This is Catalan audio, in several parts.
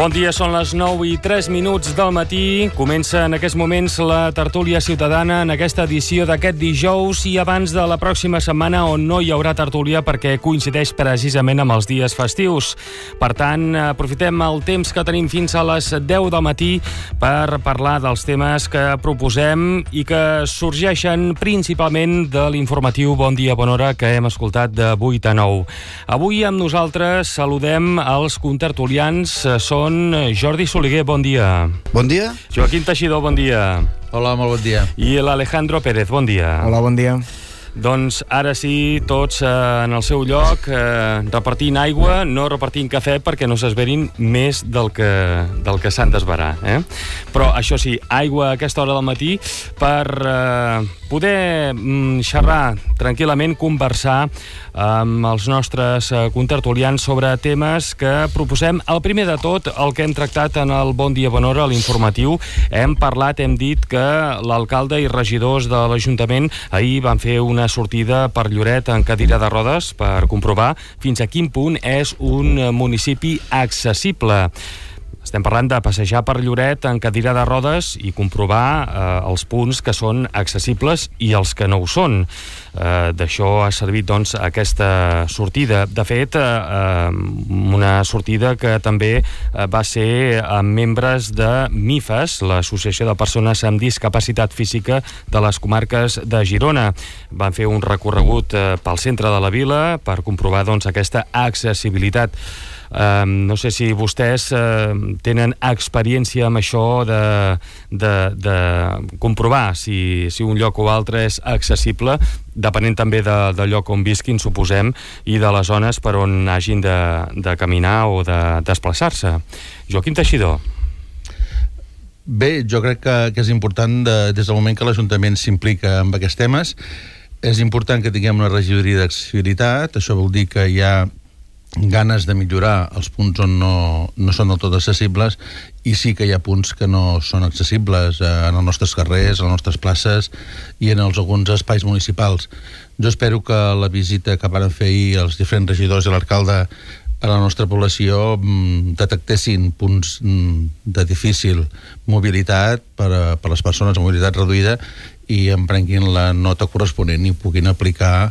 Bon dia, són les 9:03 del matí. Comença en aquests moments la tertúlia ciutadana en aquesta edició d'aquest dijous i abans de la pròxima setmana on no hi haurà tertúlia perquè coincideix precisament amb els dies festius. Per tant, aprofitem el temps que tenim fins a les 10 del matí per parlar dels temes que proposem i que sorgeixen principalment de l'informatiu Bon dia, bona hora que hem escoltat de 8 a 9. Avui amb nosaltres saludem els contertulians. Són Jordi Soliguer, bon dia. Bon dia. Joaquim Teixidor, bon dia. Hola, molt bon dia. I l'Alejandro Pérez, bon dia. Hola, bon dia. Doncs ara sí, tots en el seu lloc, repartint aigua, no repartint cafè perquè no s'esverin més del que s'han d'esverar. Però això sí, aigua a aquesta hora del matí per poder xerrar tranquil·lament, conversar amb els nostres contertulians sobre temes que proposem. El primer de tot, el que hem tractat en el Bon dia, bona hora, a l'informatiu, hem dit que l'alcalde i regidors de l'Ajuntament ahir van fer una sortida per Lloret en cadira de rodes per comprovar fins a quin punt és un municipi accessible. Estem parlant de passejar per Lloret en cadira de rodes i comprovar els punts que són accessibles i els que no ho són. D'això ha servit doncs aquesta sortida. De fet, una sortida que també va ser amb membres de MIFES, l'Associació de Persones amb Discapacitat Física de les comarques de Girona. Van fer un recorregut pel centre de la vila per comprovar doncs aquesta accessibilitat. No sé si vostès tenen experiència amb això de comprovar si un lloc o altre és accessible, depenent també del lloc on visquin, suposem, i de les zones per on hagin de caminar o de desplaçar-se. Joaquim Teixidor. Bé, jo crec que és important, des del moment que l'Ajuntament s'implica en aquests temes, és important que tinguem una regidoria d'accessibilitat. Això vol dir que hi ha ganes de millorar els punts on no són del tot accessibles, i sí que hi ha punts que no són accessibles en els nostres carrers, en les nostres places i en alguns espais municipals. Jo espero que la visita que van fer ahir els diferents regidors i l'alcalde a la nostra població detectessin punts de difícil mobilitat per a les persones amb mobilitat reduïda i en prenguin la nota corresponent i puguin aplicar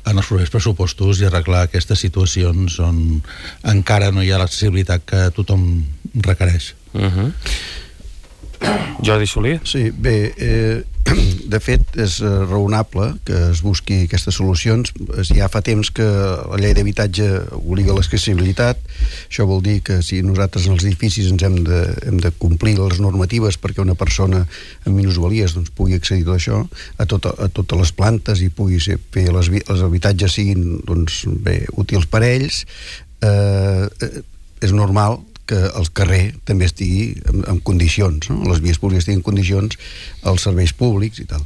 en els propers pressupostos i arreglar aquestes situacions on encara no hi ha l'accessibilitat que tothom requereix. Jordi Soler? Sí, bé, de fet és raonable que es busqui aquestes solucions. Ja fa temps que la llei d'habitatge obliga l'accessibilitat. Això vol dir que si nosaltres en els edificis ens hem de complir les normatives perquè una persona amb minusvalies doncs, pugui accedir a això, a totes les plantes, i pugui fer els habitatges siguin doncs, bé, útils per a ells, és normal que el carrer també estigui en condicions, no? Les vies públiques estiguin en condicions, els serveis públics i tal.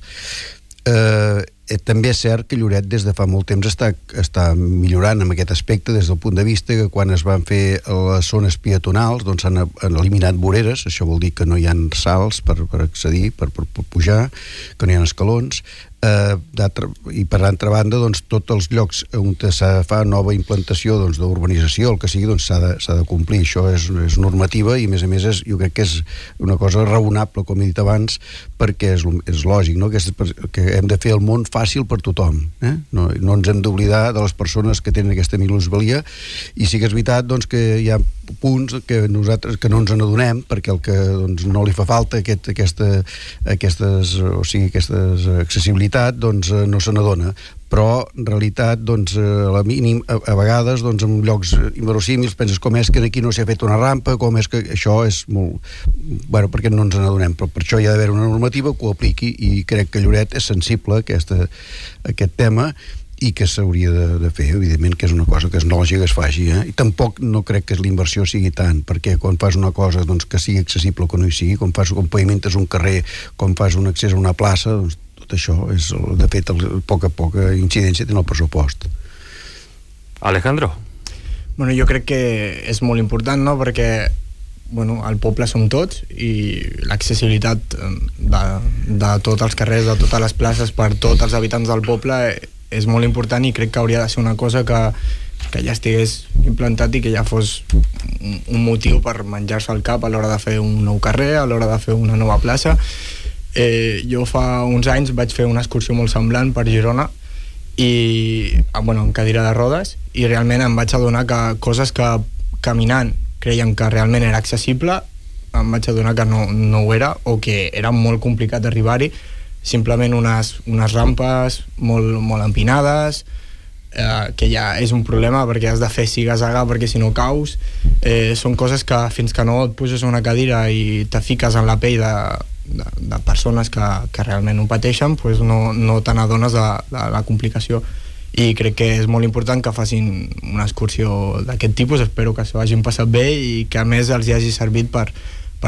També és cert que Lloret des de fa molt temps està millorant en aquest aspecte des del punt de vista que quan es van fer les zones peatonals doncs s'han eliminat voreres. Això vol dir que no hi ha salts per accedir, per pujar, que no hi ha escalons. I per altra banda doncs, tots els llocs on se fa nova implantació doncs, d'urbanització, el que sigui, doncs, s'ha de complir. Això és normativa i a més jo crec que és una cosa raonable, com he dit abans, perquè és lògic, no? Que hem de fer el món fàcil per tothom, no ens hem d'oblidar de les persones que tenen aquesta minusvalia. I sí que és veritat doncs, que hi ha punts que nosaltres que no ens n'adonem perquè el que doncs, no li fa falta aquesta accessibilitat doncs, no se n'adona, però en realitat doncs, a vegades doncs, en llocs inverosímils penses com és que aquí no s'ha fet una rampa, com és que això és molt... Bueno, perquè no ens n'adonem, però per això hi ha d'haver una normativa que ho apliqui i crec que Lloret és sensible a aquest tema i que s'hauria de fer, evidentment que és una cosa que és lògica que es faci, i tampoc no crec que l'inversió sigui tant, perquè quan fas una cosa doncs, que sigui accessible o que no hi sigui, com pavimentes un carrer, com fas un accés a una plaça, doncs tot això és, de fet, poca incidència té en el pressupost. Alejandro? Bueno, jo crec que és molt important, no?, perquè el poble som tots i l'accessibilitat de tots els carrers, de totes les places per tots els habitants del poble és molt important i crec que hauria de ser una cosa que que ja estigués implantat i que ja fos un motiu per menjar-se el cap a l'hora de fer un nou carrer, a l'hora de fer una nova plaça. Jo fa uns anys vaig fer una excursió molt semblant per Girona i, en cadira de rodes, i realment em vaig adonar que coses que caminant creiem que realment era accessible, em vaig adonar que no ho era, o que era molt complicat d'arribar-hi, simplement unes rampes molt empinades, que ja és un problema perquè has de fer siga-zaga perquè si no caus. Són coses que fins que no et puges a una cadira i te fiques en la pell de persones que realment ho pateixen, pues no te n'adones de la complicació. I crec que és molt important que facin una excursió d'aquest tipus. Espero que s'ho hagin passat bé i que a més els hi hagi servit per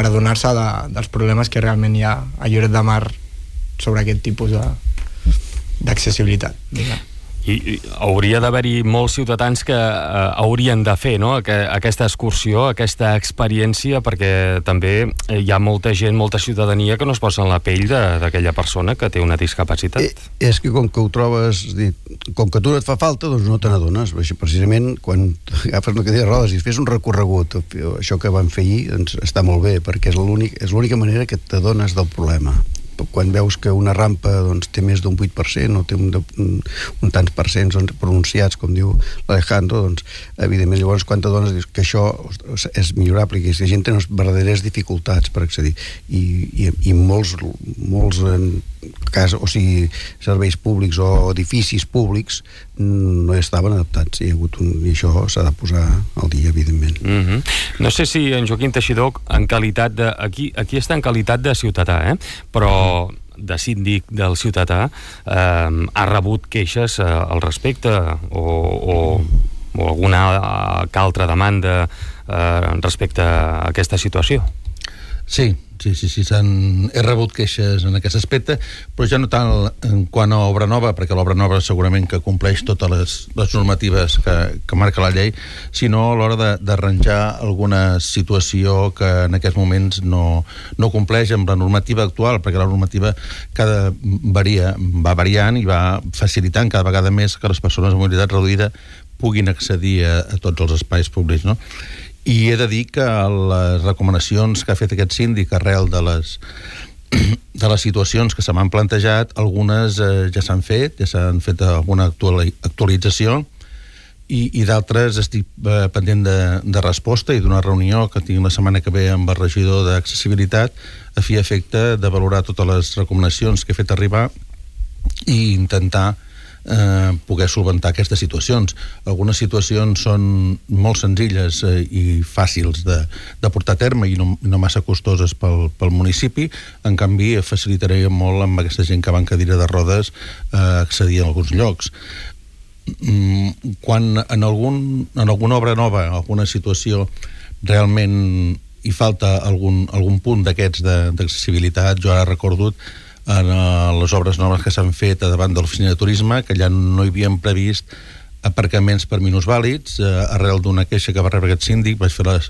adonar-se dels problemes que realment hi ha a Lloret de Mar sobre aquest tipus d'accessibilitat. I hauria d'haver-hi molts ciutadans que haurien de fer, no?, aquesta excursió, aquesta experiència, perquè també hi ha molta gent, molta ciutadania que no es posa en la pell d'aquella persona que té una discapacitat. És que com que ho trobes, com que tu no et fa falta, doncs no te n'adones. Precisament quan agafes una cadira de rodes i fes un recorregut, això que vam fer ahir, doncs està molt bé, perquè és l'única manera que t'adones del problema. Quan veus que una rampa doncs, té més d'un 8% o té un tants percents pronunciats, com diu l'Alejandro, doncs, evidentment, llavors, quan t'adones dius que això és millorable, que la gent té unes verdaderes dificultats per accedir. I molts serveis públics o edificis públics no estaven adaptats. I això s'ha de posar al dia, evidentment. No sé si en Joaquim Teixidor, en qualitat de... Aquí està en qualitat de ciutadà, però de síndic del ciutadà, ha rebut queixes al respecte o alguna altra demanda respecte a aquesta situació? Sí, he rebut queixes en aquest aspecte, però ja no tant en quant a obra nova, perquè l'obra nova segurament que compleix totes les normatives que marca la llei, sinó a l'hora d'arranjar alguna situació que en aquests moments no compleix amb la normativa actual, perquè la normativa va variant i va facilitant cada vegada més que les persones amb mobilitat reduïda puguin accedir a tots els espais públics, no? I he de dir que les recomanacions que ha fet aquest síndic arrel de les situacions que se m'han plantejat, algunes ja s'han fet alguna actualització i d'altres estic pendent de resposta i d'una reunió que tinc la setmana que ve amb el regidor d'accessibilitat a fi efecte de valorar totes les recomanacions que he fet arribar i intentar poder solventar aquestes situacions. Algunes situacions són molt senzilles i fàcils de portar a terme i no massa costoses pel municipi. En canvi, facilitaria molt amb aquesta gent que va en cadira de rodes accedir a alguns llocs. Quan en alguna obra nova, alguna situació realment hi falta algun punt d'aquests d'accessibilitat, jo ara recordo en les obres noves que s'han fet davant de l'oficina de turisme, que allà no hi havien previst aparcaments per minusvàlids. Arrel d'una queixa que va rebre aquest síndic vaig fer la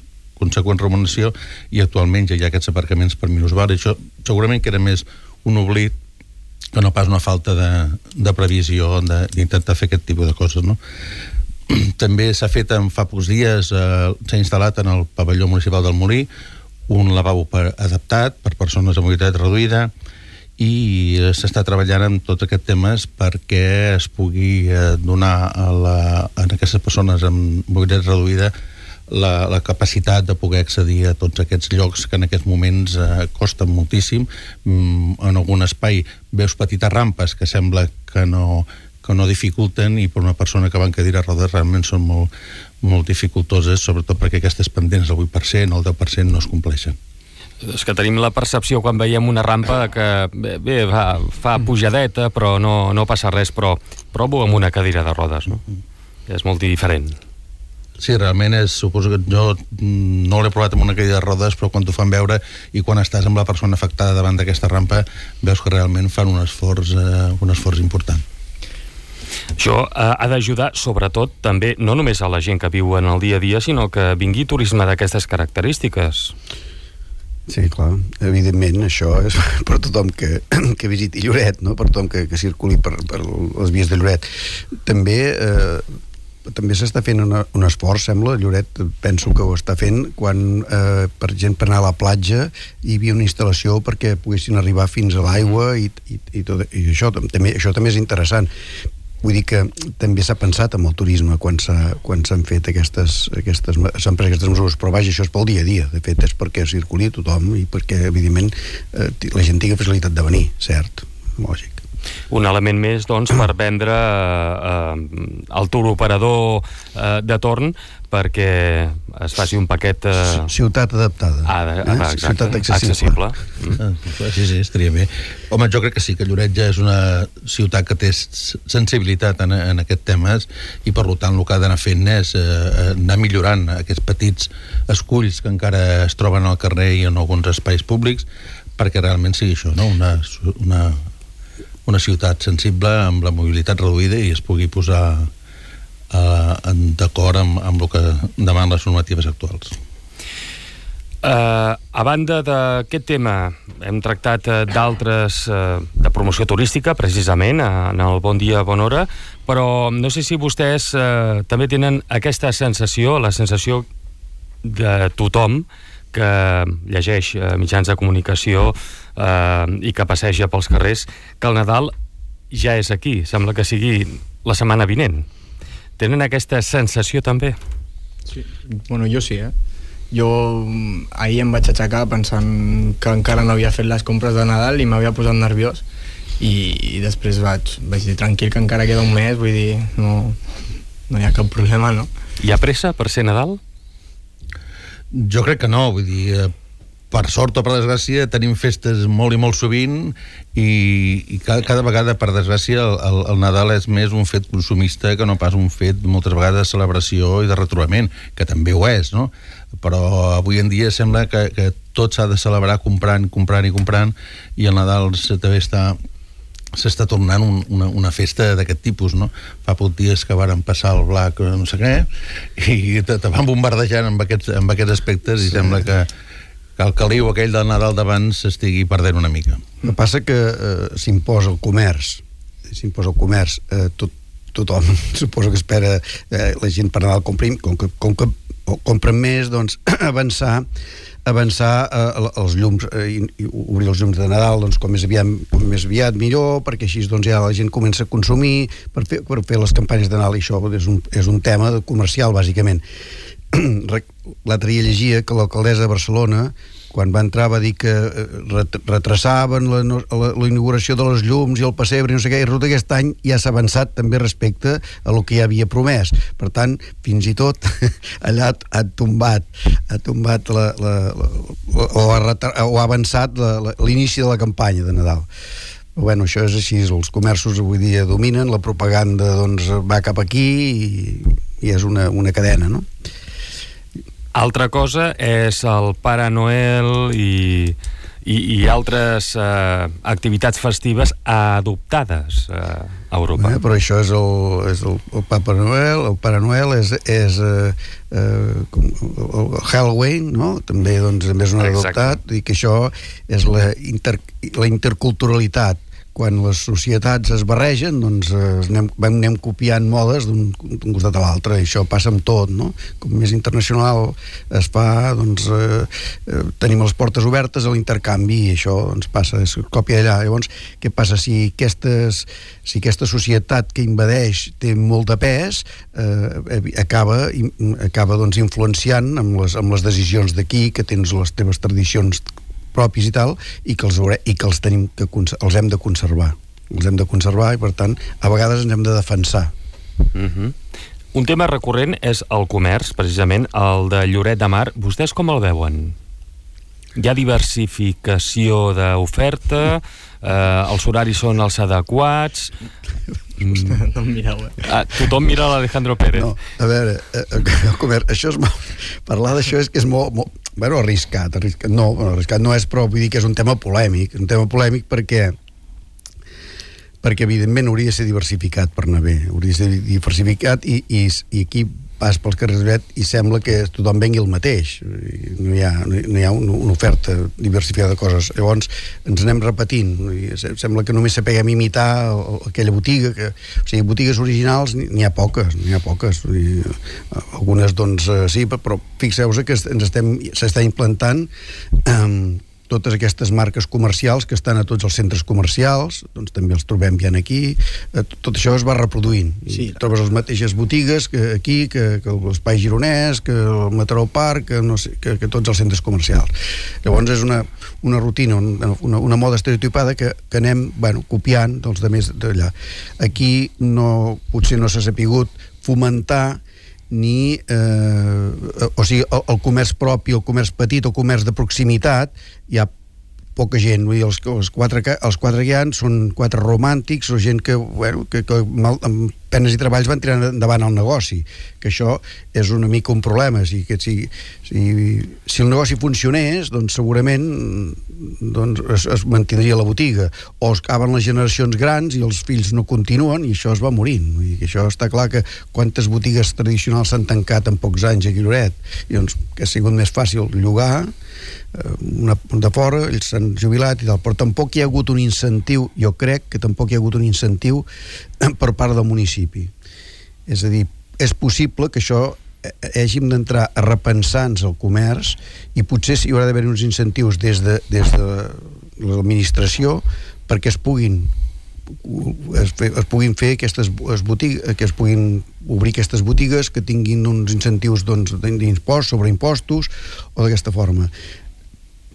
conseqüent recomanació i actualment ja hi ha aquests aparcaments per minusvàlids. Això segurament que era més un oblit que no pas una falta de previsió d'intentar fer aquest tipus de coses, no? També s'ha fet fa pocs dies, s'ha instal·lat en el pavelló municipal del Molí un lavabo adaptat per persones amb mobilitat reduïda i s'està treballant en tots aquests temes perquè es pugui donar a aquestes persones amb mobilitat reduïda la capacitat de poder accedir a tots aquests llocs que en aquests moments costen moltíssim. En algun espai veus petites rampes que sembla que no dificulten i per una persona que va en cadira de rodes realment són molt dificultoses, sobretot perquè aquestes pendents del 8%, el 10% no es compleixen. És que tenim la percepció quan veiem una rampa que bé, fa pujadeta però no passa res, però provo amb una cadira de rodes, no? És molt diferent. Sí, realment suposo que jo no l'he provat amb una cadira de rodes, però quan t'ho fan veure i quan estàs amb la persona afectada davant d'aquesta rampa veus que realment fan un esforç important. Això ha d'ajudar, sobretot, també, no només a la gent que viu en el dia a dia, sinó que vingui turisme d'aquestes característiques. Sí, clar, evidentment això és per tothom que visiti Lloret, no? Per tothom que circuli per les vies de Lloret. També també s'està fent un esforç, sembla, Lloret, penso que ho està fent, quan, per gent, per anar a la platja hi havia una instal·lació perquè poguessin arribar fins a l'aigua i això també és interessant. Vull dir que també s'ha pensat en el turisme quan s'han fet s'han pres aquestes mesures, però vaja, això és pel dia a dia, de fet és perquè circuli tothom i perquè evidentment la gent tingui facilitat de venir, cert, lògic. Un element més, doncs, per vendre el tour operador de torn perquè es faci un paquet... Ciutat adaptada. Exacte. Ciutat accessible. Sí, estaria bé. Home, jo crec que sí, que Lloret ja és una ciutat que té sensibilitat en aquests temes i per tant el que ha d'anar fent és anar millorant aquests petits esculls que encara es troben al carrer i en alguns espais públics perquè realment sigui això, no? Una ciutat sensible amb la mobilitat reduïda i es pugui posar d'acord amb el que demanen les normatives actuals. A banda d'aquest tema, hem tractat d'altres de promoció turística, precisament, en el Bon Dia, Bona Hora, però no sé si vostès també tenen aquesta sensació, la sensació de tothom que llegeix mitjans de comunicació i que passeja pels carrers, que el Nadal ja és aquí, sembla que sigui la setmana vinent. Tenen aquesta sensació també? Sí, bueno, jo sí, Jo ahir em vaig aixecar pensant que encara no havia fet les compres de Nadal i m'havia posat nerviós i després vaig dir tranquil que encara queda un mes, vull dir, no hi ha cap problema, no? Hi ha pressa per ser Nadal? Jo crec que no, vull dir, per sort o per desgràcia tenim festes molt i molt sovint i cada vegada, per desgràcia, el Nadal és més un fet consumista que no pas un fet moltes vegades de celebració i de retrobament, que també ho és, no? Però avui en dia sembla que tot s'ha de celebrar comprant i el Nadal també s'està tornant una festa d'aquest tipus, no? Fa pocs dies que varen passar el Black no sé què i te van bombardejant amb aquests aspectes i sembla que el caliu aquell del Nadal d'abans s'estigui perdent una mica. El que passa que s'imposa el comerç, tothom suposo que espera la gent per Nadal compren més, doncs avançar els llums i obrir els llums de Nadal doncs, com més aviat millor, perquè així doncs, ja la gent comença a consumir per fer les campanyes de Nadal i això és un tema comercial bàsicament. L'altre dia llegia que l'alcaldessa de Barcelona quan va entrar va dir que retrasaven la inauguració de les llums i el pessebre i no sé què, i resulta que aquest any ja s'ha avançat també respecte a el que ja havia promès. Per tant, fins i tot allà ha tombat o ha avançat l'inici de la campanya de Nadal. Bueno, això és així, els comerços avui dia dominen, la propaganda doncs va cap aquí i és una cadena, no? Altra cosa és el Pare Noel i altres activitats festives adoptades a Europa. Però això és el Papa Noel, el Pare Noel és el Halloween, no? També és un adoptat, i que això és la interculturalitat. Quan les societats es barregen, doncs anem copiant modes d'un costat a l'altre, i això passa amb tot, no? Com més internacional es fa, doncs tenim les portes obertes a l'intercanvi, i això doncs passa, es copia allà. Llavors, què passa? Si aquesta societat que invadeix té molt de pes, acaba doncs influenciant amb les decisions d'aquí, que tens les teves tradicions propis i tal, i que els hem de conservar. Els hem de conservar i, per tant, a vegades ens hem de defensar. Un tema recurrent és el comerç, precisament, el de Lloret de Mar. Vostès com el veuen? Hi ha diversificació d'oferta? Els horaris són els adequats? No em mireu, Tothom mira l'Alejandro Pérez. No, a veure, el comerç, això és parlar d'això és que és molt arriscat. Arriscat no és, però vull dir que és un tema polèmic perquè evidentment hauria de ser diversificat per anar bé, hauria de ser diversificat i aquí pas pels carrers de Lloret i sembla que tothom vengui el mateix. No hi ha una oferta diversificada de coses. Llavors ens anem repetint. Sembla que només sapiguem imitar aquella botiga. O sigui, botigues originals n'hi ha poques. Algunes, doncs, sí, però fixeu-vos que s'està implantant totes aquestes marques comercials que estan a tots els centres comercials, doncs també els trobem ja aquí. Tot això es va reproduint. Sí. Trobes les mateixes botigues que aquí, que l'Espai Gironès, que el Mataró Park, que tots els centres comercials. Llavors és una rutina, una moda estereotipada que anem copiant dels altres d'allà. Aquí potser no s'ha sapigut fomentar ni o sigui, el comerç propi, el comerç petit, el comerç de proximitat, hi ha poca gent. Vull dir, els quatre que hi ha són quatre romàntics o gent que amb penes i treballs van tirar endavant el negoci, que això és una mica un problema. Si el negoci funcionés, doncs segurament es mantindria la botiga, o es acaben les generacions grans i els fills no continuen i això es va morint. Vull dir que això està clar, que quantes botigues tradicionals s'han tancat en pocs anys a Lloret, i doncs que ha sigut més fàcil llogar de fora, ells s'han jubilat i tal, però tampoc hi ha hagut un incentiu, jo crec que tampoc hi ha hagut un incentiu per part del municipi. És a dir, és possible que això hàgim d'entrar a repensar-nos el comerç, i potser hi haurà d'haver uns incentius des de l'administració perquè es puguin fer aquestes botigues, que es puguin obrir aquestes botigues que tinguin uns incentius d'impost sobre impostos o d'aquesta forma.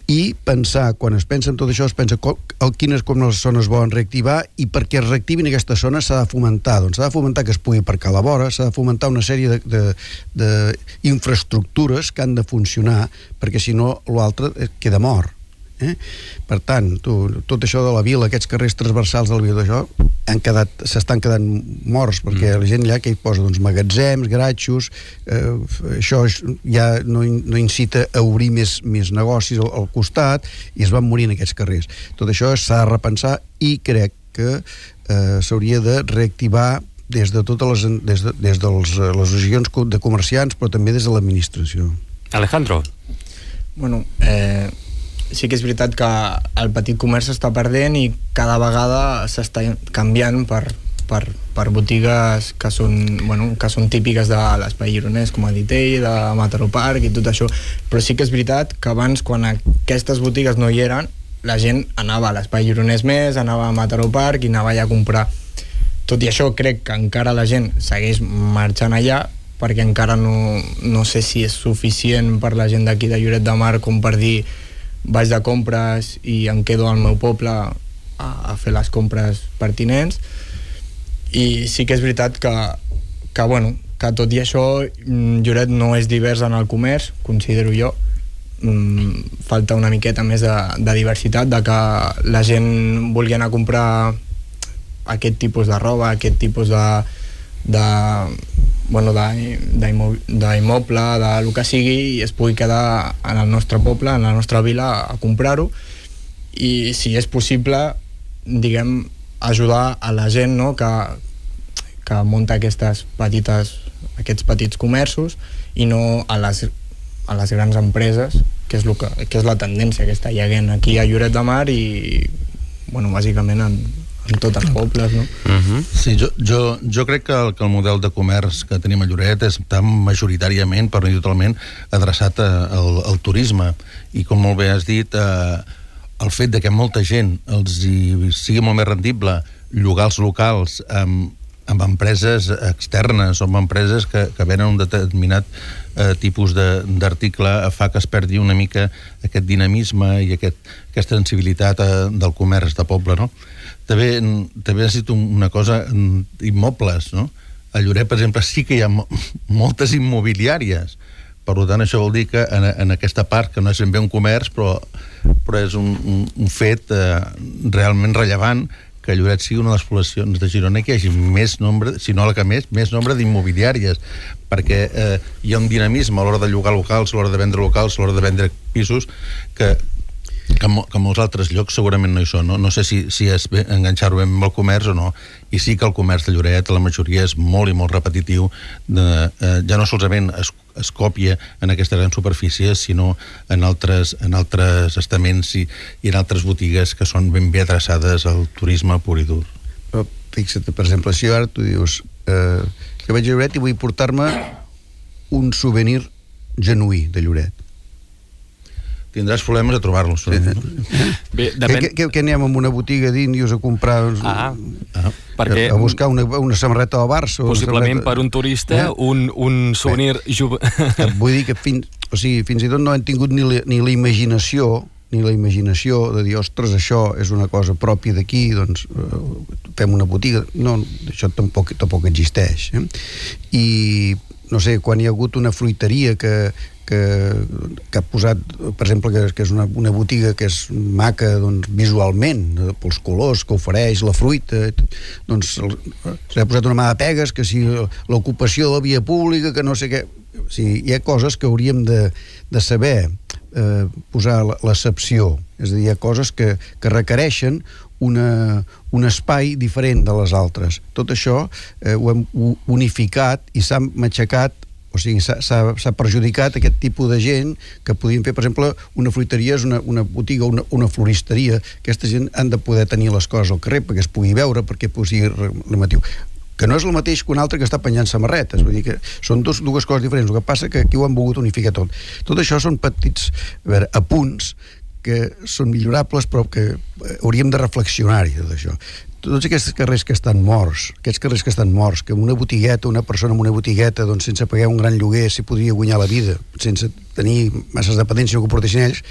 I pensar, quan es pensa en tot això, es pensa quines les zones volen reactivar, i perquè es reactivin aquestes zones s'ha de fomentar. Doncs s'ha de fomentar que es pugui aparcar a la vora, s'ha de fomentar una sèrie d'infraestructures que han de funcionar, perquè si no l'altre queda mort. Per tant, tot això de la vila, aquests carrers transversals de la vila, s'estan quedant morts, perquè la gent allà que hi posa magatzems, garatxos, això ja no incita a obrir més negocis al costat, i es van morint aquests carrers. Tot això s'ha de repensar, i crec que s'hauria de reactivar des de les associacions de comerciants, però també des de l'administració. Alejandro. Bueno, sí que és veritat que el petit comerç s'està perdent, i cada vegada s'està canviant per botigues que són típiques de l'Espai Gironès, com ha dit ell, de Mataró Park i tot això. Però sí que és veritat que abans, quan aquestes botigues no hi eren, la gent anava a l'Espai Gironès més, anava a Mataró Park i anava allà a comprar. Tot i això, crec que encara la gent segueix marxant allà, perquè encara no sé si és suficient per la gent d'aquí de Lloret de Mar com per dir vaig de compres i em quedo al meu poble a fer les compres pertinents. I sí que és veritat que tot i això Lloret no és divers en el comerç, considero jo. Falta una miqueta més de diversitat, de que la gent vulgui anar a comprar aquest tipus de roba, aquest tipus d'immoble, del que sigui, i es pugui quedar en el nostre poble, en la nostra vila, a comprar-ho. I si és possible, diguem, ajudar a la gent, no?, que munta aquests petits comerços, i no a les grans empreses, que és la tendència que està hi havent aquí a Lloret de Mar i bàsicament en tots els pobles, no? Sí, jo crec que el model de comerç que tenim a Lloret està majoritàriament, per no dir totalment, adreçat al turisme, i com molt bé has dit, el fet de que molta gent els sigui molt més rendible llogar els locals amb empreses externes o amb empreses que venen un determinat tipus d'article, fa que es perdi una mica aquest dinamisme i aquesta sensibilitat del comerç de poble, no? També has dit una cosa, immobles, no? A Lloret, per exemple, sí que hi ha moltes immobiliàries. Per tant, això vol dir que en aquesta part, que no és ben bé un comerç, però és un fet realment rellevant, que Lloret sigui una de les poblacions de Girona que hi hagi més nombre, si no la que més nombre d'immobiliàries, perquè hi ha un dinamisme a l'hora de llogar locals, a l'hora de vendre locals, a l'hora de vendre pisos, que Que molts altres llocs segurament no hi són, no? No sé si és enganxar-ho amb el comerç o no, i sí que el comerç de Lloret, la majoria és molt i molt repetitiu, ja no solament es còpia en aquestes grans superfícies, sinó en altres estaments i en altres botigues que són ben bé adreçades al turisme pur i dur. Però fixa't, per exemple, si ara tu dius que vaig a Lloret i vull portar-me un souvenir genuí de Lloret, tindràs problemes a trobar-los. Bé, depèn... Què anem a una botiga d'índios a comprar... perquè... A buscar una samarreta del Barça... Possiblement per un turista, un souvenir... Vull dir que fins i tot no han tingut ni la imaginació de dir, ostres, això és una cosa pròpia d'aquí, doncs fem una botiga. No, això tampoc existeix. I, no sé, quan hi ha hagut una fruiteria que ha posat, per exemple, que és una botiga que és maca, doncs, visualment, pels colors que ofereix, la fruita, doncs s'ha posat una mà de pegues, que si l'ocupació de la via pública, que no sé què... O sigui, hi ha coses que hauríem de saber posar l'accepció, és a dir, hi ha coses que requereixen un espai diferent de les altres. Tot això ho hem unificat i s'ha matxacat. O sigui, s'ha perjudicat aquest tipus de gent que podien fer, per exemple, una fruiteria és una botiga, una floristeria. Aquesta gent han de poder tenir les coses al carrer perquè es pugui veure, perquè sigui llamatiu. Que no és el mateix que un altre que està penjant samarretes. Vull dir que són dues coses diferents. El que passa que aquí ho han volgut unificar tot. Tot això són petits apunts que són millorables, però que hauríem de reflexionar-hi, tot això. Tots aquests carrers que estan morts, que una botigueta, una persona amb una botigueta, doncs sense pagar un gran lloguer s'hi podria guanyar la vida, sense tenir masses dependència que ho portessin ells,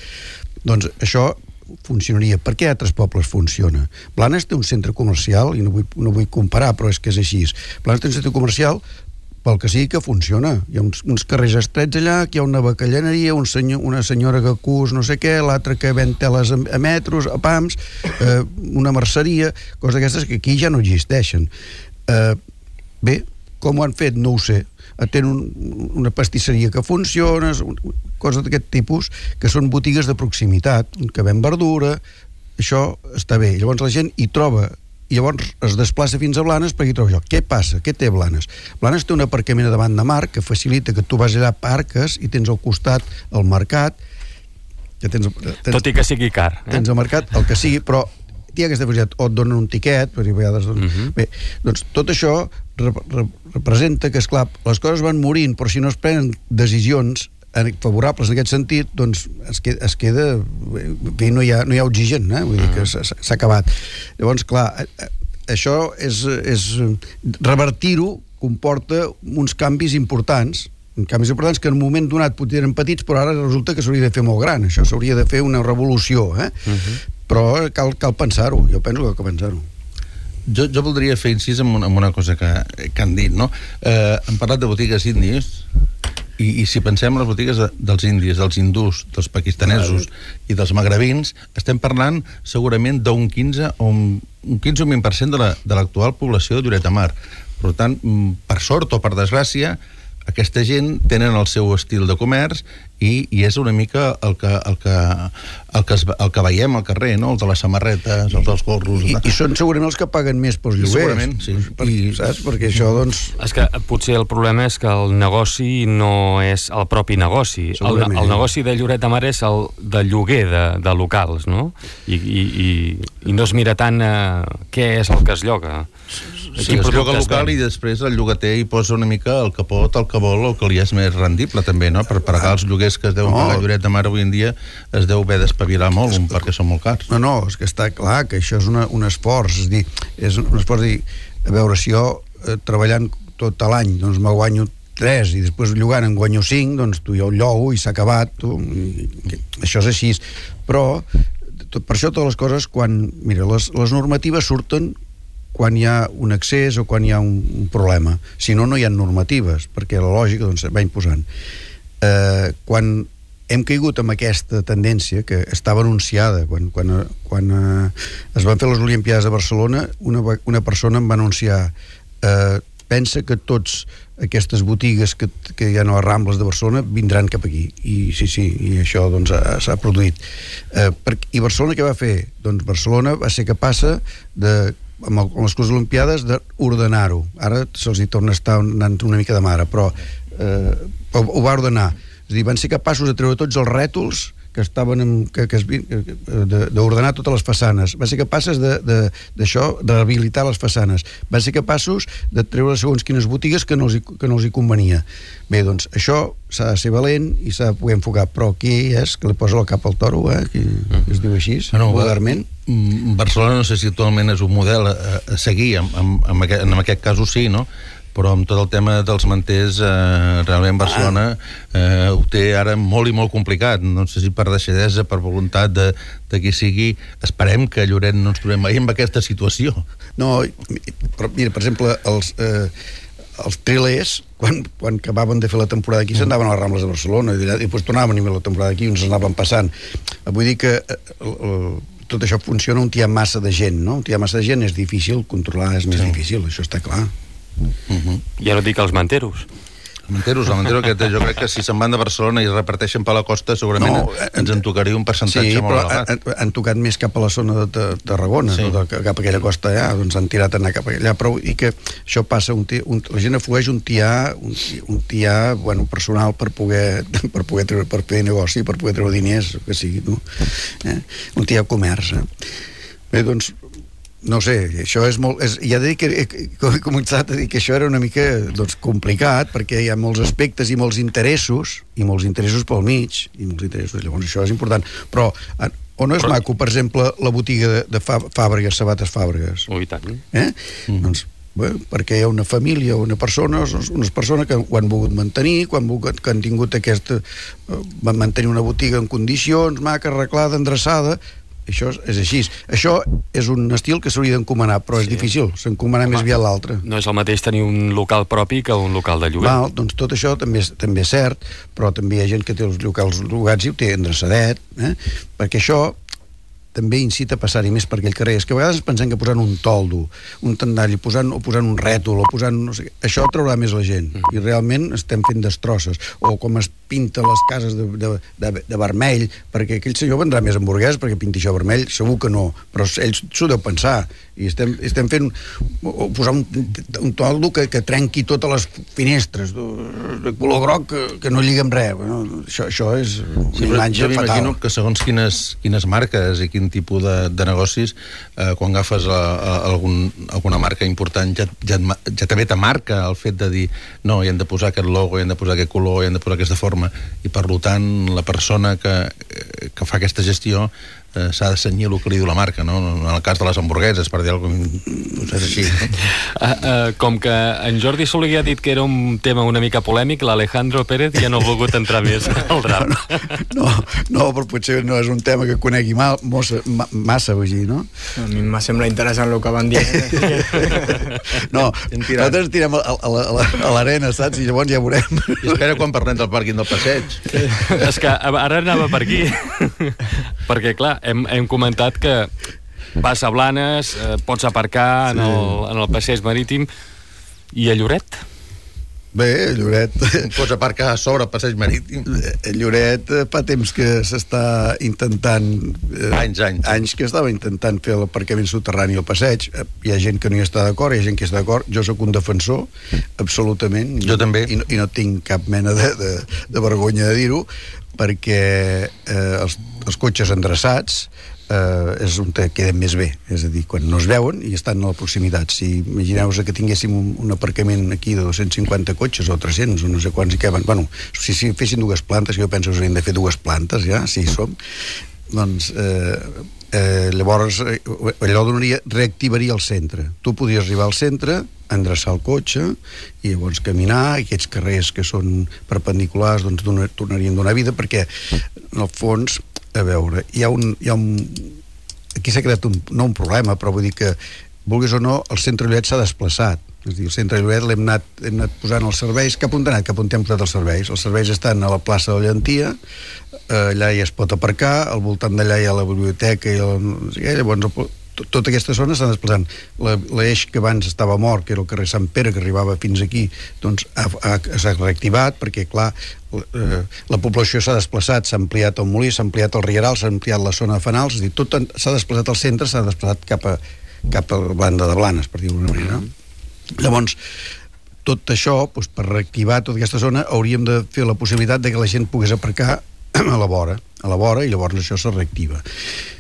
doncs això funcionaria. Per què a altres pobles funciona? Blanes té un centre comercial, i no vull comparar, però és que és així. Blanes té un centre comercial pel que sigui que funciona. Hi ha uns carrers estrets allà, que hi ha una bacalleneria, una senyora que cus no sé què, l'altra que ven teles a metros, a pams, una merceria, coses d'aquestes que aquí ja no existeixen. Bé, com ho han fet? No ho sé. Tenen una pastisseria que funciona, coses d'aquest tipus, que són botigues de proximitat, que ven verdura, això està bé. Llavors la gent hi troba, i llavors es desplaça fins a Blanes perquè hi troba això. Què passa? Què té Blanes? Blanes té un aparcament davant de mar que facilita que tu vas allà, parques i tens al costat el mercat, que tot i que sigui car. Tens el mercat, el que sigui, però hi ha aquesta facilitat, o et donen un tiquet, perquè a vegades... Bé, doncs tot això representa que, esclar, les coses van morint, però si no es prenen decisions favorables en aquest sentit, doncs es queda... no hi ha oxigen, vull dir que s'ha acabat. Llavors, clar, això és revertir-ho comporta uns canvis importants que en un moment donat potser eren petits, però ara resulta que s'hauria de fer molt gran. Això s'hauria de fer una revolució, però cal pensar-ho. Jo penso que cal pensar-ho. Jo voldria fer incís en una cosa que han dit, no? Hem parlat de botigues índies, i si pensem en les botigues dels indis, dels hindús, dels pakistanesos i dels magrebins, estem parlant segurament d'un 15 o un 20% de l'actual població de Lloret de Mar. Per tant, per sort o per desgràcia, aquesta gent tenen el seu estil de comerç i és una mica el que veiem al carrer, no? Els de les samarretes, els dels gorros... I són segurament els que paguen més pels lloguers. Segurament, sí. Saps? Perquè això, doncs... És que potser el problema és que el negoci no és el propi negoci. El negoci de Lloret de Mar és el de lloguer de locals, no? I no es mira tant què és el que es lloga. Sí, es lloga local i després el llogater hi posa una mica el que pot, el que vol, el que li és més rendible també, no? Per pagar els lloguers que es deuen pagar a Lloret de Mar avui en dia es deu haver d'espavilar molt perquè són molt cars. No, és que està clar que això és un esforç, és dir, és un esforç de dir, a veure, si jo treballant tot l'any, doncs me guanyo 3 i després llogant en guanyo 5, doncs tu ja ho llogo i s'ha acabat, això és així. Però per això totes les coses, mira, les normatives surten quan hi ha un excés o quan hi ha un problema. Si no, no hi ha normatives, perquè la lògica doncs, va imposant. Quan hem caigut amb aquesta tendència que estava anunciada, quan es van fer les Olimpiades de Barcelona, una persona em va anunciar pensa que tots aquestes botigues que hi ha a les Rambles de Barcelona vindran cap aquí, i sí, i això doncs s'ha produït. I Barcelona què va fer? Doncs Barcelona va ser capaç amb les coses olimpiades d'ordenar-ho. Ara se'ls hi torna a estar anant una mica de mare, però ho va ordenar. És a dir, van ser capaços de treure tots els rètols que estaven d'ordenar totes les façanes, van ser capaces d'això, de rehabilitar les façanes, van ser capaços de treure segons quines botigues que no els hi convenia. Bé, doncs això s'ha de ser valent i s'ha de poder enfocar, però qui és que li posa el cap al toro, que es diu així, vulgarment? Barcelona no sé si actualment és un model a seguir, en aquest cas sí, no? Però amb tot el tema dels manters realment Barcelona ho té ara molt i molt complicat, no sé si per deixadesa, per voluntat de qui sigui. Esperem que a Lloret no ens trobem mai en aquesta situació. No, mira, per exemple, els trilers, quan acabaven de fer la temporada aquí, s'anaven a les Rambles de Barcelona i després tornaven a venir la temporada aquí i ens anaven passant. Vull dir que tot això funciona on hi ha massa de gent, no? On hi ha massa de gent és difícil controlar, és més difícil, això està clar. Ja no dic els manteros. El mantero aquest, jo crec que si se'n van de Barcelona i es reparteixen per la costa, segurament ens en tocaria un percentatge molt elevat. Sí, però han tocat més cap a la zona de Tarragona, cap a aquella costa allà, doncs han tirat a anar cap allà, però i que això passa, la gent aflueix un tià personal per poder treure, per fer negoci, per poder treure diners, que sigui, no? Un tià comerç. Bé, doncs, no sé, això és molt... Ja he de dir que he començat a dir que això era una mica complicat, perquè hi ha molts aspectes i molts interessos pel mig, llavors això és important. Però on no és maco, per exemple, la botiga de Fàbregas, Sabates Fàbregas? Oh, i tant. Doncs, perquè hi ha una família, unes persones que ho han volgut mantenir, que han tingut van mantenir una botiga en condicions, maca, arreglada, endreçada. Això és així. Això és un estil que s'hauria d'encomanar, però és difícil, s'encomana més aviat l'altre. No és el mateix tenir un local propi que un local de lloguer. Doncs tot això també és cert, però també hi ha gent que té els locals llogats i ho té endreçadet, perquè això també incita a passar-hi més per aquell carrer. És que a vegades pensem que posant un toldo, un tendall, o posant un rètol, o posant, no sé, això atraurà més la gent. I realment estem fent destrosses. O com es pinta les cases de vermell, perquè aquell senyor vendrà més hamburgueses perquè pinti això vermell, segur que no, però ell s'ho deu pensar. I estem fent posar un toldo que trenqui totes les finestres de color groc que no lliga amb res. Això és una imatge fatal. M'imagino que segons quines marques i quin tipus de negocis, quan agafes alguna marca important ja també te marca el fet de dir no, hi hem de posar aquest logo, hi hem de posar aquest color, hi hem de posar aquesta forma, i per tant la persona que fa aquesta gestió s'ha de cenyir el que li diu la marca, no? En el cas de les hamburgueses, per dir alguna cosa, és així, no? Com que en Jordi Soler ha dit que era un tema una mica polèmic, l'Alejandro Pérez ja no ha volgut entrar més al drap. No, però potser no és un tema que conegui massa, vull dir, no? A mi em sembla interessant el que van dir. No, nosaltres tirem a l'arena, saps? I llavors ja veurem. I espera quan parlem del pàrquing del passeig. És que ara anava per aquí. Perquè, clar, hem comentat que vas a Blanes, pots aparcar en el passeig marítim, i a Lloret? Bé, a Lloret... Pots aparcar a sobre el passeig marítim. A Lloret fa temps que s'està intentant... Anys que estava intentant fer l'aparcament subterrani al passeig. Hi ha gent que no hi està d'acord, hi ha gent que està d'acord. Jo sóc un defensor, absolutament. Jo també. I no tinc cap mena de vergonya de dir-ho, perquè els cotxes endreçats és on queden més bé, és a dir, quan no es veuen i estan a la proximitat. Si imagineu-vos que tinguéssim un aparcament aquí de 250 cotxes o 300 o no sé quants hi caben, bueno, si fessin dues plantes, jo penso que s'haurien de fer dues plantes ja, si hi som, doncs llavors allò reactivaria el centre. Tu podries arribar al centre, endreçar el cotxe i llavors caminar, i aquests carrers que són perpendiculars doncs tornarien a donar vida, perquè en el fons, a veure, hi ha un aquí s'ha creat no un problema, però vull dir que vulguis o no, el centre Lloret s'ha desplaçat. És a dir, el centre Lloret l'hem anat posant els serveis. Cap on hem posat els serveis? Els serveis estan a la plaça de la Llentia, allà ja es pot aparcar, al voltant d'allà hi ha la biblioteca i llavors tota aquesta zona s'ha desplaçant. L'eix que abans estava mort, que era el carrer Sant Pere, que arribava fins aquí, doncs s'ha reactivat, perquè, clar, la població s'ha desplaçat, s'ha ampliat el molí, s'ha ampliat el rieral, s'ha ampliat la zona de fanals, és a dir, tot s'ha desplaçat al centre, s'ha desplaçat cap a la banda de Blanes, per dir-ho d'una manera. Llavors, tot això, doncs, per reactivar tota aquesta zona, hauríem de fer la possibilitat de que la gent pogués aparcar a la vora, i llavors això se reactiva.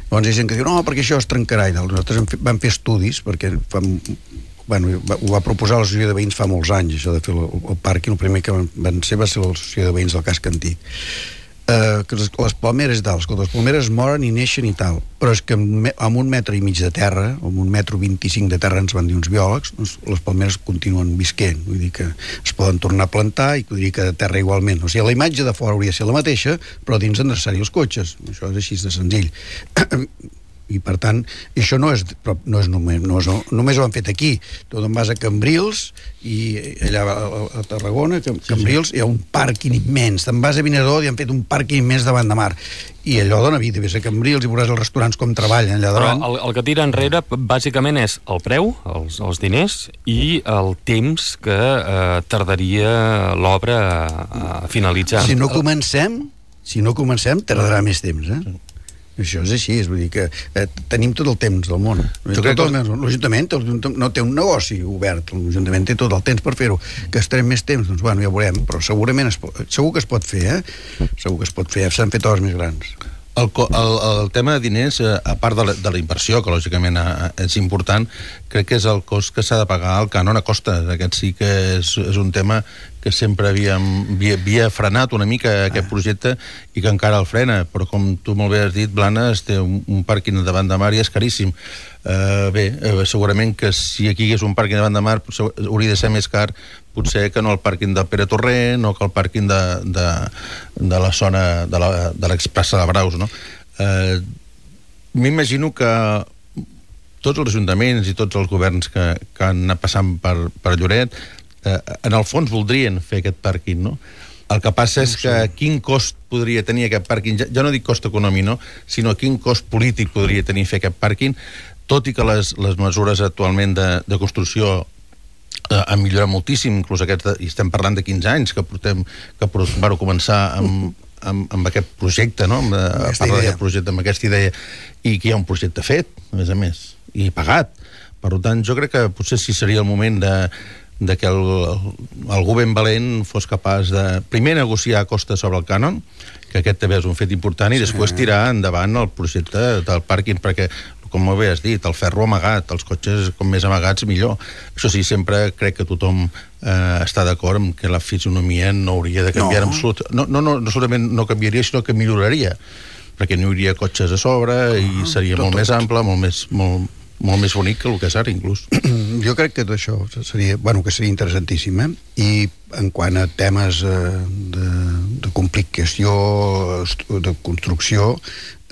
Llavors hi ha gent que diu, no, perquè això es trencarà i tal. Nosaltres vam fer estudis, perquè ho va proposar l'associació de veïns fa molts anys, això de fer el pàrquing. El primer que van ser va ser l'associació de veïns del casc antic. Que les palmeres i tal, escolta, les palmeres moren i neixen i tal, però és que amb 1,5 metres de terra, o amb 1,25 m de terra, ens van dir uns biòlegs, doncs les palmeres continuen visquent, vull dir que es poden tornar a plantar i podria que de terra igualment. O sigui, la imatge de fora hauria de ser la mateixa, però dins endreçar-hi els cotxes. Això és així de senzill. I per tant, això no és només ho han fet aquí. Tu te'n vas a Cambrils i allà a Tarragona, Cambrils, hi ha un pàrquing immens. Te'n vas a Vinaròs i han fet un pàrquing immens davant de mar, i allò dona vida. Ves a Cambrils i veuràs els restaurants com treballen allà davant. Però el que tira enrere bàsicament és el preu, els diners, i el temps que tardaria l'obra a finalitzar. Si no comencem tardarà més temps, Això és així, vull dir que tenim tot el temps del món. L'Ajuntament no té un negoci obert, l'Ajuntament té tot el temps per fer-ho. Que estarem més temps, doncs bueno, ja ho veurem, però segurament segur que es pot fer, segur que es pot fer, s'han fet obres més grans. El tema de diners, a part de la inversió, que lògicament és important, crec que és el cost que s'ha de pagar el cànon a costes. Aquest sí que és un tema que sempre havia frenat una mica aquest projecte i que encara el frena, però com tu molt bé has dit, Blanes té un pàrquing davant de mar i és caríssim. Segurament que si aquí hi hagués un pàrquing davant de mar hauria de ser més car potser que no el pàrquing del Pere Torrent o que el pàrquing de la zona de l'Expressa de Braus, no? M'imagino que tots els ajuntaments i tots els governs que han anat passant per Lloret en el fons voldrien fer aquest pàrquing, no? El que passa és que quin cost podria tenir aquest pàrquing, ja no dic cost econòmic, no? Sinó quin cost polític podria tenir fer aquest pàrquing, tot i que les mesures actualment de construcció han millorat moltíssim, inclús i estem parlant de 15 anys que vau començar amb aquest projecte, no? A parlar d'aquest projecte, amb aquesta idea, i que hi ha un projecte fet, a més, i pagat. Per tant, jo crec que potser sí seria el moment de que algú ben valent fos capaç de primer negociar a costa sobre el cànon, que aquest també és un fet important, i després tirar endavant el projecte del pàrquing, perquè, com bé has dit, el ferro amagat, els cotxes com més amagats millor. Això sí, sempre crec que tothom està d'acord amb que la fisonomia no hauria de canviar no solament no canviaria, sinó que milloraria, perquè no hi hauria cotxes a sobre i seria molt més ample, molt més bonic que el que és ara, inclús. Jo crec que tot això seria interessantíssim, I en quant a temes de complicació, de construcció,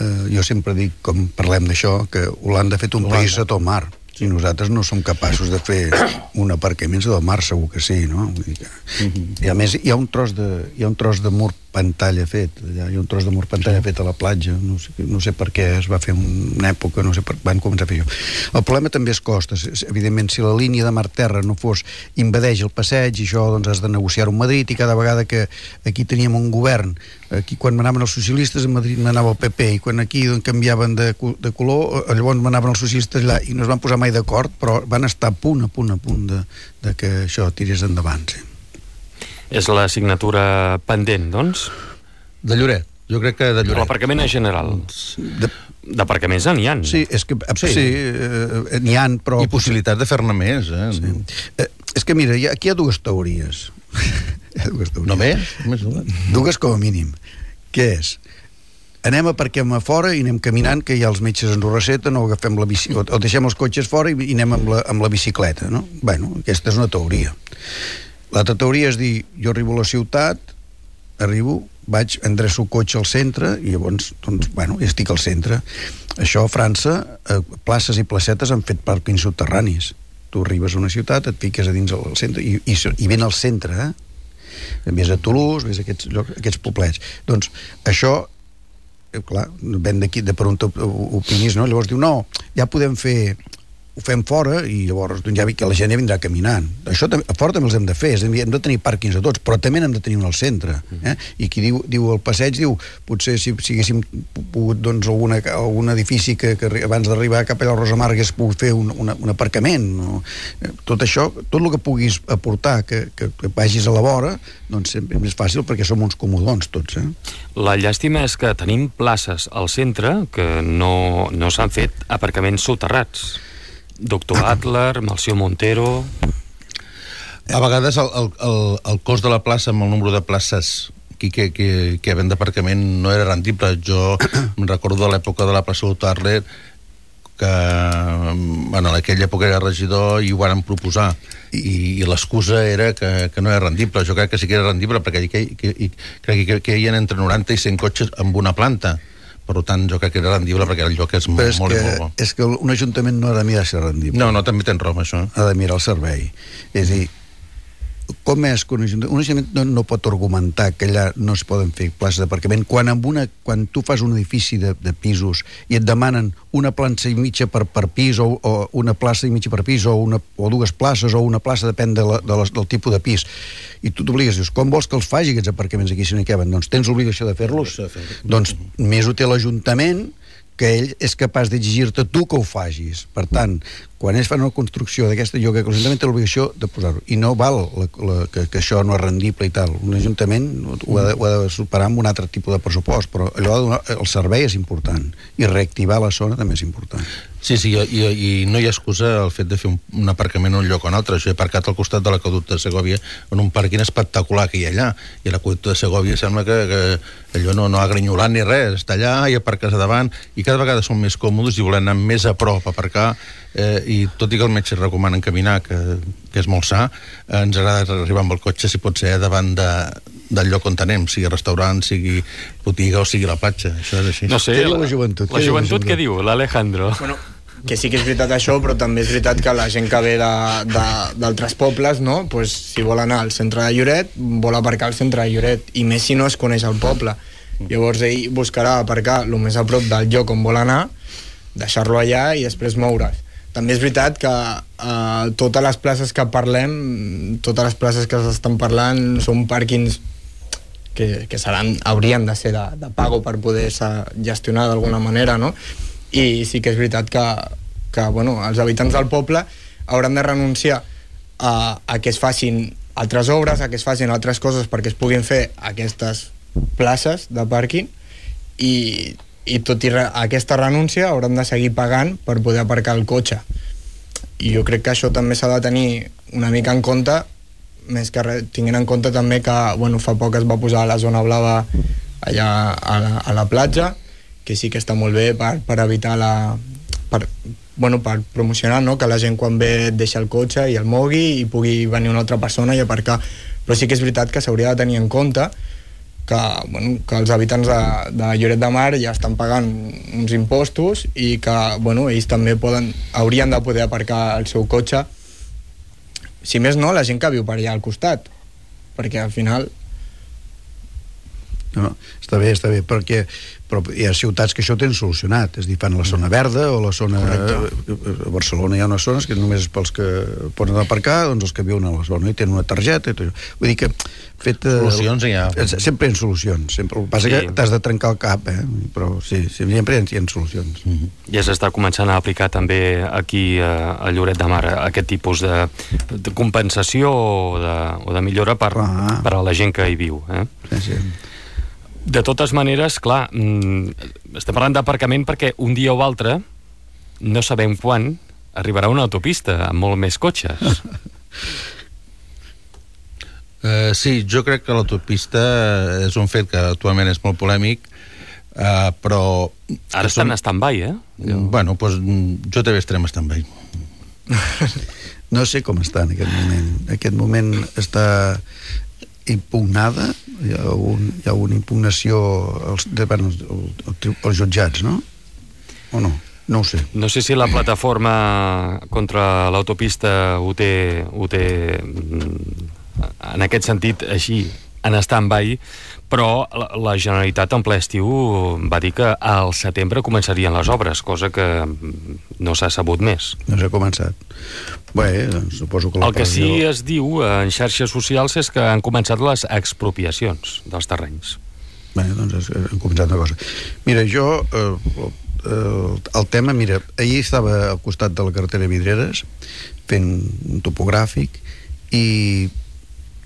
jo sempre dic, com parlem d'això, que Holanda ha fet un país a tot mar, i nosaltres no som capaços de fer un aparcament del mar, segur que sí, no? Vull dir que... I a més, hi ha un tros de mur pantalla fet, allà hi ha un tros de mur pantalla fet a la platja, no sé per què es va fer una època, no sé per van començar a fer això. El problema també és costes. Evidentment, si la línia de mar-terra no invadeix el passeig, i això doncs has de negociar-ho amb Madrid, i cada vegada que aquí teníem un govern, aquí quan manaven els socialistes, a Madrid manava el PP, i quan aquí canviaven de color, llavors manaven els socialistes allà, i no es van posar mai d'acord, però van estar a punt de que això tirés endavant, sí. És la signatura pendent, doncs? De Lloret. Jo crec que de Lloret. L'aparcament en general. D'aparcaments n'hi ha. Sí, és que n'hi ha, però... I possibilitat de fer-ne més, Sí. És que mira, aquí hi ha dues teories. Només? Dues com a mínim. Què és? Anem a parquem a fora i anem caminant, que ja els metges ens ho receten, o agafem la bici, o deixem els cotxes fora i anem amb la bicicleta, no? Bueno, aquesta és una teoria. L'altra teoria és dir, jo arribo a la ciutat, endreço el cotxe al centre, i llavors, doncs, bueno, ja estic al centre. Això a França, places i placetes han fet pàrquings subterranis. Tu arribes a una ciutat, et fiques a dins el centre, i ben al centre, Ves a Toulouse, ves a aquests poblets. Doncs això clar, ven d'aquí, de per on t'opinis, no? Llavors diu, no, ja podem fer, ho fem fora i llavors ja que la gent ja vindrà caminant. Això a fora també els hem de fer, és a dir, hem de tenir pàrquings a tots, però també n'hem de tenir un al centre. I qui diu el passeig, diu, potser si haguéssim pogut, doncs, algun edifici que abans d'arribar cap allà al Rosamar hagués pogut fer un aparcament. No? Tot això, tot el que puguis aportar, que vagis a la vora, doncs és més fàcil perquè som uns comodons tots. La llàstima és que tenim places al centre que no s'han fet aparcaments soterrats. Doctor Adler, Melcior Montero... A vegades el cost de la plaça amb el número de places que ven d'aparcament no era rendible. Jo em recordo de l'època de la plaça Doctor Adler que en aquella època era regidor i ho van proposar i l'excusa era que no era rendible. Jo crec que sí que era rendible perquè crec que hi ha entre 90 i 100 cotxes amb una planta. Per tant, jo crec que era rendible perquè el lloc és molt bo. És que un ajuntament no ha de mirar ser rendible. No, també tens raó amb això. Ha de mirar el servei. És a dir, com és que un ajuntament no pot argumentar que allà no es poden fer places d'aparcament quan tu fas un edifici de pisos i et demanen una plaça i mitja per pis o una plaça i mitja per pis o dues places o una plaça, depèn del tipus de pis, i tu t'obligues, dius, com vols que els faci aquests aparcaments aquí si no hi caben? Doncs tens l'obligació de fer-los. Doncs més ho té l'Ajuntament, que ell és capaç d'exigir-te tu que ho facis. Per tant, quan ells fan una construcció d'aquesta, jo crec que l'Ajuntament té l'obligació de posar-ho. I no val que això no és rendible i tal. Un Ajuntament ho ha de superar amb un altre tipus de pressupost, però allò el servei és important i reactivar la zona també és important. Sí, i no hi ha excusa el fet de fer un aparcament en un lloc o un altre. Jo he aparcat al costat de l'aqüeducte de Segòvia en un pàrquing espectacular que hi ha allà, i l'aqüeducte de Segòvia sembla que allò no ha grinyolat ni res, està allà i aparques a davant, i cada vegada són més còmodes i volen anar més a prop a aparcar, i tot i que els metges recomanen caminar, que és molt sa, ens agrada arribar amb el cotxe, si pot ser, davant del lloc on anem, sigui restaurant, sigui botiga o sigui la platja. Això és així. No sé, la joventut. La joventut què diu, l'Alejandro? Bueno, que sí que és veritat això, però també és veritat que la gent que ve d'altres pobles, no? Pues, si vol anar al centre de Lloret, vol aparcar al centre de Lloret, i més si no es coneix el poble. Llavors ell buscarà aparcar el més a prop del lloc on vol anar, deixar-lo allà i després moure's. També és veritat que totes les places que parlem, totes les places que s'estan parlant són pàrquings que haurien de ser de pago per poder-se gestionar d'alguna manera, no? I sí que és veritat que bueno, els habitants del poble hauran de renunciar a que es facin altres obres, a que es facin altres coses perquè es puguin fer aquestes places de pàrquing, i tot i aquesta renúncia hauran de seguir pagant per poder aparcar el cotxe. I jo crec que això també s'ha de tenir una mica en compte, més que res, tinguent en compte també que fa poc es va posar la zona blava allà a la platja, que sí que està molt bé per evitar per promocionar, no? Que la gent quan ve deixa el cotxe i el mogui i pugui venir una altra persona i aparcar. Però sí que és veritat que s'hauria de tenir en compte que els habitants de Lloret de Mar ja estan pagant uns impostos i que ells també haurien de poder aparcar el seu cotxe, si més no la gent que viu per allà al costat, perquè al final no, està bé, però hi ha ciutats que això ho tenen solucionat, és a dir, fan la zona verda o la zona... A Barcelona hi ha unes zones que només és pels que poden aparcar, doncs els que viuen a la zona i tenen una targeta i tot això. Vull dir que solucions hi ha. Sempre hi ha solucions, sempre. El que passa que t'has de trencar el cap, però sí, sempre hi ha solucions. Ja s'està començant a aplicar també aquí a Lloret de Mar aquest tipus de compensació o de millora per a la gent que hi viu. Sí. De totes maneres, clar, estem parlant d'aparcament perquè un dia o altre, no sabem quan, arribarà una autopista amb molt més cotxes. Sí, jo crec que l'autopista és un fet que actualment és molt polèmic, però... Ara estan en stand-by, Bueno, doncs jo també estarem en stand-by. No sé com està en aquest moment. En aquest moment està impugnada, hi ha una impugnació als jutjats, no? O no? No ho sé. No sé si la plataforma contra l'autopista ho té en aquest sentit així en stand-by, però la Generalitat en ple estiu va dir que al setembre començarien les obres, cosa que no s'ha sabut més. No s'ha començat. Bé, doncs suposo que... El que sí es diu en xarxes socials és que han començat les expropiacions dels terrenys. Bé, doncs han començat una cosa. Mira, jo... el tema, mira, ahir estava al costat de la carretera Vidreres fent un topogràfic i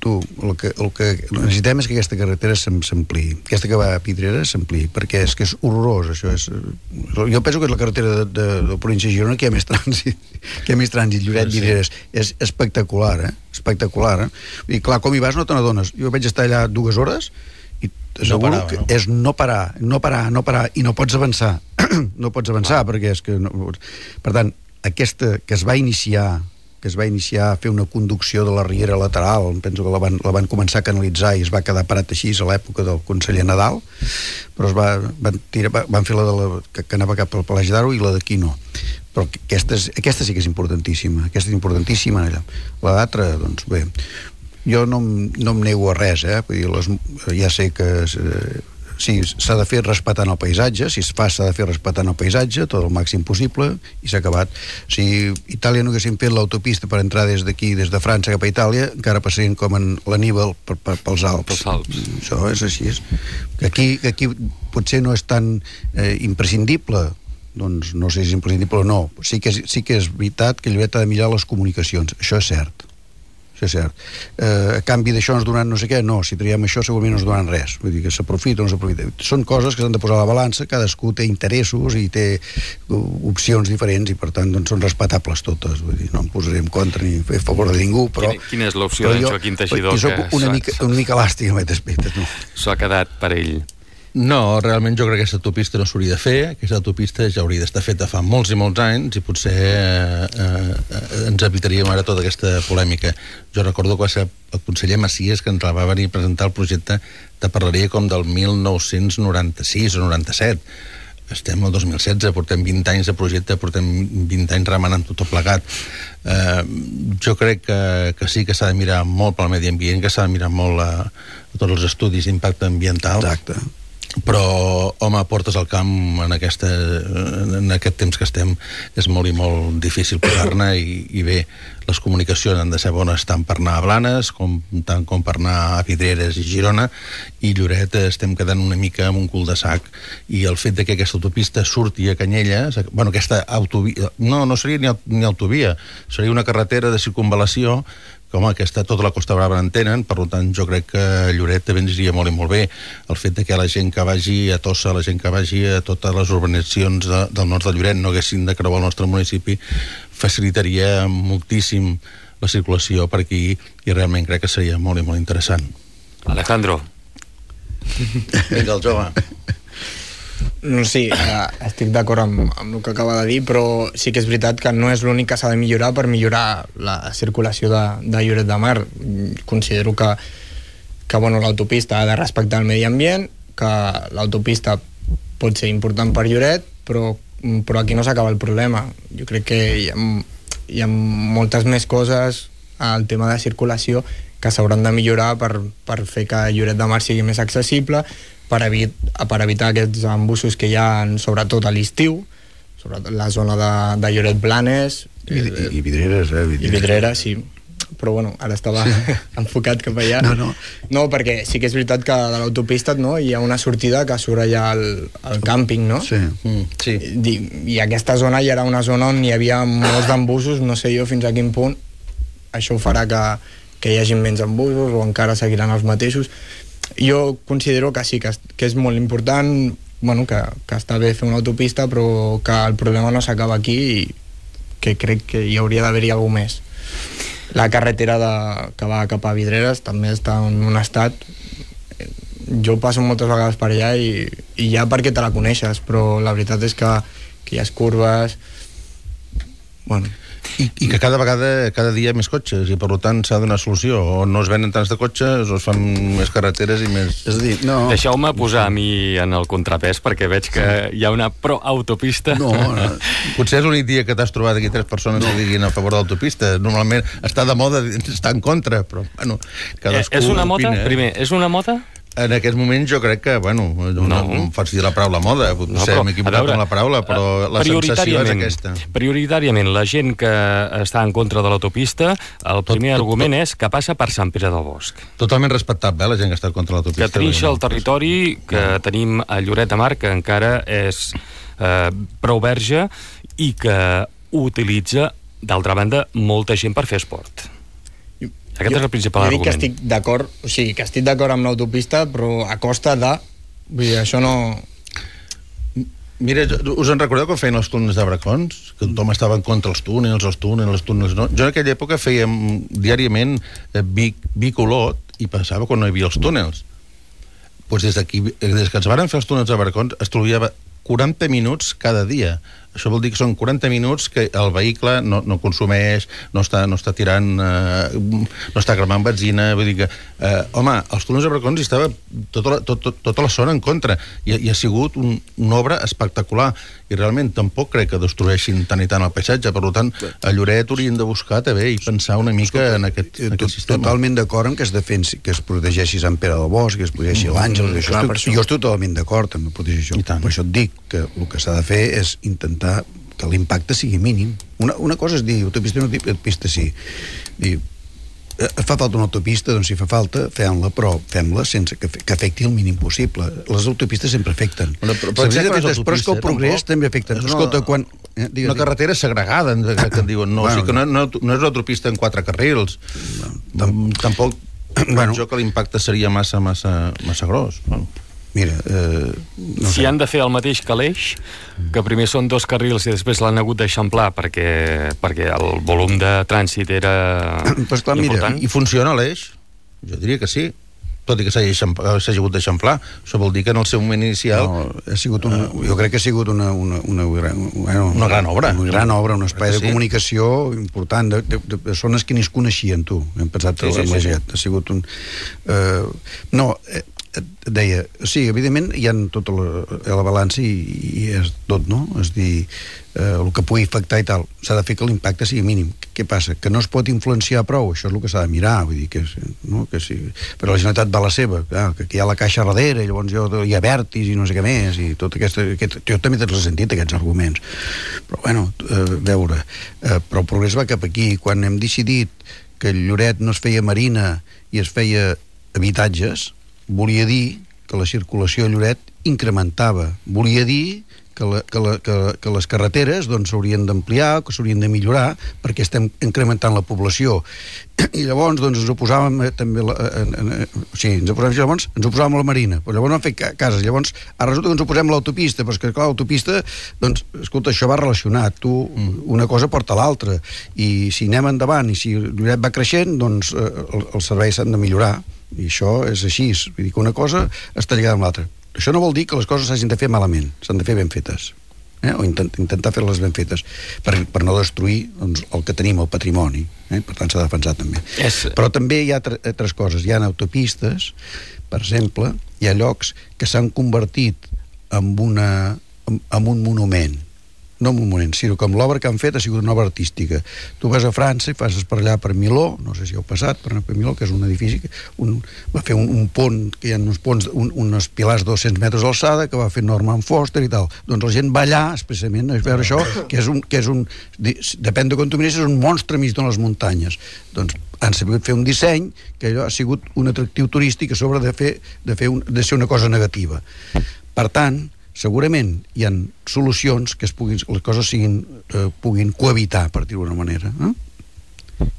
el que necessitem és que aquesta carretera s'ampliï, aquesta que va a Vidreres s'ampliï, perquè és que és horrorós, això és... Jo penso que és la carretera de província de Girona que hi ha més trànsit, Lloret, Vidreres, és espectacular, espectacular, i clar, com hi vas no te n'adones. Jo vaig estar allà 2 hores i t'asseguro que és no parar, i no pots avançar no pots avançar perquè és que per tant, aquesta que es va iniciar a fer una conducció de la riera lateral, penso que la van començar a canalitzar i es va quedar parat així a l'època del conseller Nadal, però van fer la que anava cap al Palagi d'Aro i la d'aquí no, però aquesta sí que és importantíssima, l'altra, doncs bé, jo no em nego a res, vull dir, ja sé que sí, s'ha de fer respectant el paisatge, si es fa s'ha de fer respectant el paisatge tot el màxim possible, i s'ha acabat. Si Itàlia no haguessin fet l'autopista per entrar des d'aquí, des de França cap a Itàlia, encara passarien com en l'Aníbal pels Alps. Això és així. Aquí potser no és tan imprescindible, doncs no sé si és imprescindible o no, sí que és veritat que Lloret ha de millorar les comunicacions, això és cert. A canvi d'això ens donaran no sé què, no, si traiem això segurament no ens donaran res, vull dir que s'aprofita o no s'aprofita, són coses que s'han de posar a la balança, cadascú té interessos i té opcions diferents i per tant doncs són respectables totes, vull dir, no em posaré en contra ni a favor de ningú, però... Quina és l'opció d'en Joaquim Teixidor? Jo soc una mica elàstic en aquest aspecte, no? S'ho ha quedat per ell. No, realment jo crec que aquesta autopista no s'hauria de fer, aquesta autopista ja hauria d'estar feta fa molts i molts anys i potser ens evitaríem ara tota aquesta polèmica. Jo recordo que va ser el conseller Macias que ens va venir a presentar el projecte, te parlaria com del 1996 o 97. Estem al 2016, portem 20 anys de projecte, portem 20 anys remenant tot plegat. Jo crec que sí que s'ha de mirar molt pel medi ambient, que s'ha de mirar molt a tots els estudis d'impacte ambiental. Exacte. Però, home, portes al camp en aquest temps que estem és molt i molt difícil posar-ne i bé, les comunicacions han de ser bones tant per anar a Blanes tant com per anar a Vidreres i Girona, i Lloret estem quedant una mica amb un cul de sac, i el fet de que aquesta autopista surti a Canyelles, bueno, aquesta autovia, no seria ni autovia, seria una carretera de circunvalació que, home, tota la Costa Brava en tenen, per tant jo crec que Lloret també ens iria molt i molt bé. El fet de que la gent que vagi a Tossa, la gent que vagi a totes les urbanitzacions del nord de Lloret no haguessin de creuar el nostre municipi facilitaria moltíssim la circulació per aquí i realment crec que seria molt i molt interessant. Alejandro. Vinga, el jove. Sí, estic d'acord amb el que acaba de dir, però sí que és veritat que no és l'únic que s'ha de millorar per millorar la circulació de Lloret de Mar. Considero que bueno, l'autopista ha de respectar el medi ambient, que l'autopista pot ser important per Lloret, però aquí no s'acaba el problema. Jo crec que hi ha moltes més coses al tema de circulació que s'hauran de millorar per fer que Lloret de Mar sigui més accessible, per evitar aquests embussos que hi ha sobretot a l'estiu, sobretot la zona de Lloret Blanes i Vidreres, i Vidreres, sí, però bueno, ara estava enfocat cap allà. No, perquè sí que és veritat que de l'autopista hi ha una sortida que surt allà al càmping, no? Sí. I aquesta zona ja era una zona on hi havia molts d'embussos, no sé jo fins a quin punt això farà que hi hagi menys embussos o encara seguiran els mateixos. Jo considero que sí, que és molt important, bueno, que està bé fer una autopista, però que el problema no s'acaba aquí i que crec que hi hauria d'haver-hi alguna més. La carretera que va cap a Vidreres també està en un estat... Jo passo moltes vegades per allà i ja perquè te la coneixes, però la veritat és que hi ha curves... Bueno... I que cada vegada, cada dia més cotxes, i per tant s'ha de donar solució. O no es venen tants de cotxes, o es fan més carreteres i més... És a dir, no... Deixeu-me posar a mi en el contrapès, perquè veig que hi ha una pro-autopista. No. Potser és l'únic dia que t'has trobat aquí 3 persones que diguin a favor de l'autopista. Normalment està de moda, està en contra, però, bueno, cadascú És una moda? opina. Primer, és una moda? En aquest moment jo crec que, bueno, no faig dir la paraula moda, potser m'he equivocat amb la paraula, però la sensació és aquesta. Prioritàriament, la gent que està en contra de l'autopista, el primer argument és que passa per Sant Pere del Bosc. Totalment respectable, la gent que està contra l'autopista. Que trinxa el territori, que tenim a Lloret de Mar, que encara és prou verge, i que utilitza, d'altra banda, molta gent per fer esport. Aquest és el principal argument. Jo dic que estic d'acord, o sigui, que estic d'acord amb l'autopista, però a costa de... Vull dir, això no... Mira, us en recordeu quan feien els túnels de Bracons? Que tothom estava en contra els túnels no? Jo en aquella època fèiem diàriament Vic-Olot i passava quan no hi havia els túnels. Doncs des que ens varen fer els túnels de Bracons es trobava 40 minuts cada dia. Això vol dir que són 40 minuts que el vehicle no consumeix, no està tirant, no està cremant benzina, vull dir que, home, els túnels de Bracons hi estava tota la zona en contra, i ha sigut una obra espectacular, i realment tampoc crec que destrueixin tant i tant el paisatge, per tant, a Lloret haurien de buscar també i pensar una mica en aquest sistema. Totalment d'acord amb que es defensi, que es protegeixi Sant Pere del Bosc, que es protegeixi l'Àngel, jo estic totalment d'acord amb protegir això, per això et dic que el que s'ha de fer és intentar que l'impacte sigui mínim. Una cosa és dir autopista no, autopista sí. Dir, fa falta una autopista, doncs si fa falta, fem-la, però fem-la sense que afecti el mínim possible. Les autopistes sempre afecten. Però és que el progrés també afecta. Escolta, quan... Una carretera segregada, que en diuen. No, o sigui que no és una autopista en 4 carrils. Tampoc jo que l'impacte seria massa gros. Mira, no si han de fer el mateix que l'Eix, que primer són 2 carrils i després l'han hagut d'eixamplar perquè el volum de trànsit era important. Mira, i funciona l'Eix? Jo diria que sí, tot i que s'hagi hagut d'eixamplar. Això vol dir que en el seu moment inicial... Jo crec que ha sigut una gran obra. Una gran obra, un espai de comunicació important, de persones que ni es coneixien, tu. Hem pensat que ha sigut un... deia, sí, evidentment hi ha tota la balança i és tot, no? És dir, el que pugui afectar i tal, s'ha de fer que l'impacte sigui mínim. Què passa? Que no es pot influenciar prou, això és el que s'ha de mirar, vull dir que sí, però la Generalitat va a la seva, que hi ha la caixa darrere, i llavors hi ha Vertis i no sé què més, i tot jo també t'he sentit aquests arguments, però bueno, veure, però el progrés va cap aquí. Quan hem decidit que Lloret no es feia marina i es feia habitatges, volia dir que la circulació a Lloret incrementava. Volia dir que les carreteres doncs s'haurien d'ampliar, que s'haurien de millorar, perquè estem incrementant la població. I llavors doncs ens oposàvem també ens oposàvem a la marina, però llavors no han fet cases. Llavors ara resulta que ens oposem a l'autopista, però és que clar, l'autopista, doncs, escolta, això va relacionat, una cosa porta l'altra, i si anem endavant i si Lloret va creixent, doncs els serveis s'han de millorar, i això és així, vull dir que una cosa està lligada amb l'altra. Això no vol dir que les coses s'hagin de fer malament, s'han de fer ben fetes, o intentar fer-les ben fetes, per no destruir doncs, el que tenim, el patrimoni, per tant s'ha de defensar també. Però també hi ha altres coses, hi ha autopistes, per exemple, hi ha llocs que s'han convertit en un monument, no un monument, sinó que amb l'obra que han fet ha sigut una obra artística. Tu vas a França i passes per allà per Miló, no sé si heu passat per Miló, que és un edifici que va fer un pont, que hi ha uns ponts, uns pilars 200 metres d'alçada, que va fer Norman Foster i tal. Doncs la gent va allà, expressament, a veure això, que és un depèn de com tu mires, és un monstre mig de les muntanyes. Doncs han sabut fer un disseny que allò ha sigut un atractiu turístic a sobre de ser una cosa negativa. Per tant, segurament hi ha solucions que les coses puguin cohabitar, per dir-ho d'una manera.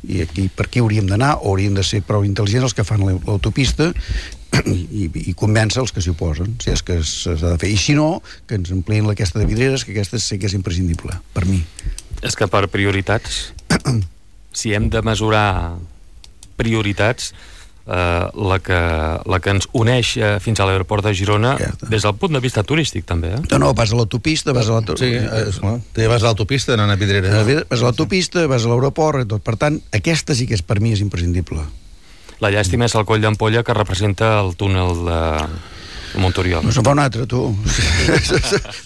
I aquí, per aquí hauríem d'anar, o hauríem de ser prou intel·ligents els que fan l'autopista i convèncer els que s'hi oposen, si és que s'ha de fer. I si no, que ens ampliïn aquesta de vidreres, que aquesta sí que és imprescindible, per mi. És que per prioritats, si hem de mesurar prioritats, la que ens uneix fins a l'aeroport de Girona des del punt de vista turístic, també. No, vas a l'autopista, vas a Sí, vas a l'autopista anant a Vidrera. Vas a l'autopista, vas a l'aeroport i tot. Per tant, aquesta sí que per mi és imprescindible. La llàstima és el coll d'ampolla que representa el túnel de Montoriol. No se'n fa un altre, tu.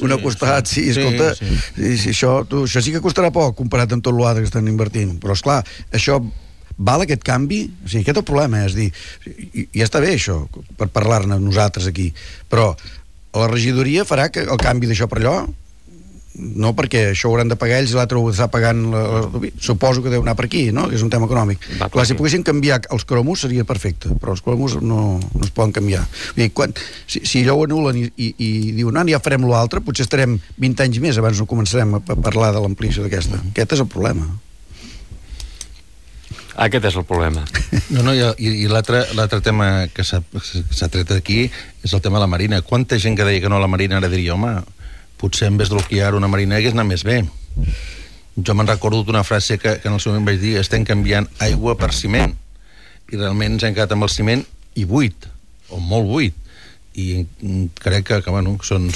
Un costat, sí, escolta, sí, això sí que costarà poc comparat amb tot l'altre que estan invertint. Però, esclar, això val aquest canvi? O sigui, aquest és el problema, és dir, ja està bé això, per parlar-ne nosaltres aquí, però la regidoria farà que el canvi d'això per allò? No, perquè això ho hauran de pagar ells i l'altre ho està pagant suposo que deu anar per aquí, no? Que és un tema econòmic. Clar, si poguessin canviar els cromos seria perfecte, però els cromos no es poden canviar. Si allò ho anulen i diuen ja farem l'altre, potser estarem 20 anys més abans no començarem a parlar de l'ampliació d'aquesta. Aquest és el problema. Aquest és el problema. No, i l'altre tema que s'ha tret aquí és el tema de la Marina. Quanta gent que deia que no a la Marina ara diria, home, potser en vez de bloquear una Marina hagués anat més bé. Jo me'n recordo d'una frase que en el seu moment vaig dir, estem canviant aigua per ciment, i realment ens hem quedat amb el ciment i buit, o molt buit, i crec que bueno, són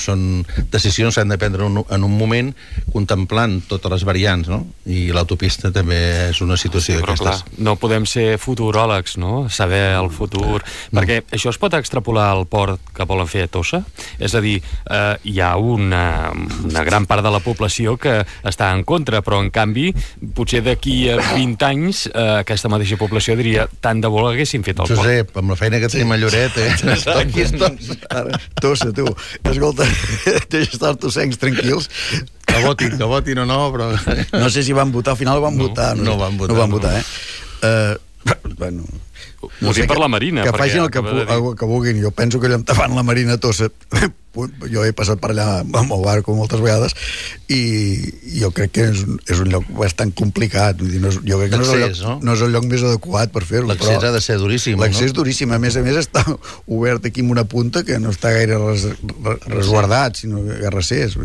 decisions que s'han de prendre en un moment contemplant totes les variants, no? I l'autopista també és una situació d'aquestes. No podem ser futuròlegs, no? Saber el futur, perquè això es pot extrapolar al port que volen fer a Tossa? És a dir, hi ha una gran part de la població que està en contra, però en canvi potser d'aquí a 20 anys aquesta mateixa població diria tant de bo haguessin fet el port. Josep, amb la feina que tenim a Lloret, aquí estem. Tossa, tu, escolta, deixa estar els tossencs tranquils. Que votin o no, però... No sé si van votar, al final van votar. No van votar, Bueno, ho dic per la Marina. Que facin el que vulguin. Jo penso que allò davant la Marina Tossa, jo he passat per allà amb el barco moltes vegades i jo crec que és un lloc bastant complicat. Jo crec que no és el lloc més adequat per fer-ho. L'accés ha de ser duríssim. L'accés és duríssim. A més està obert aquí amb una punta que no està gaire resguardat, sinó garracers.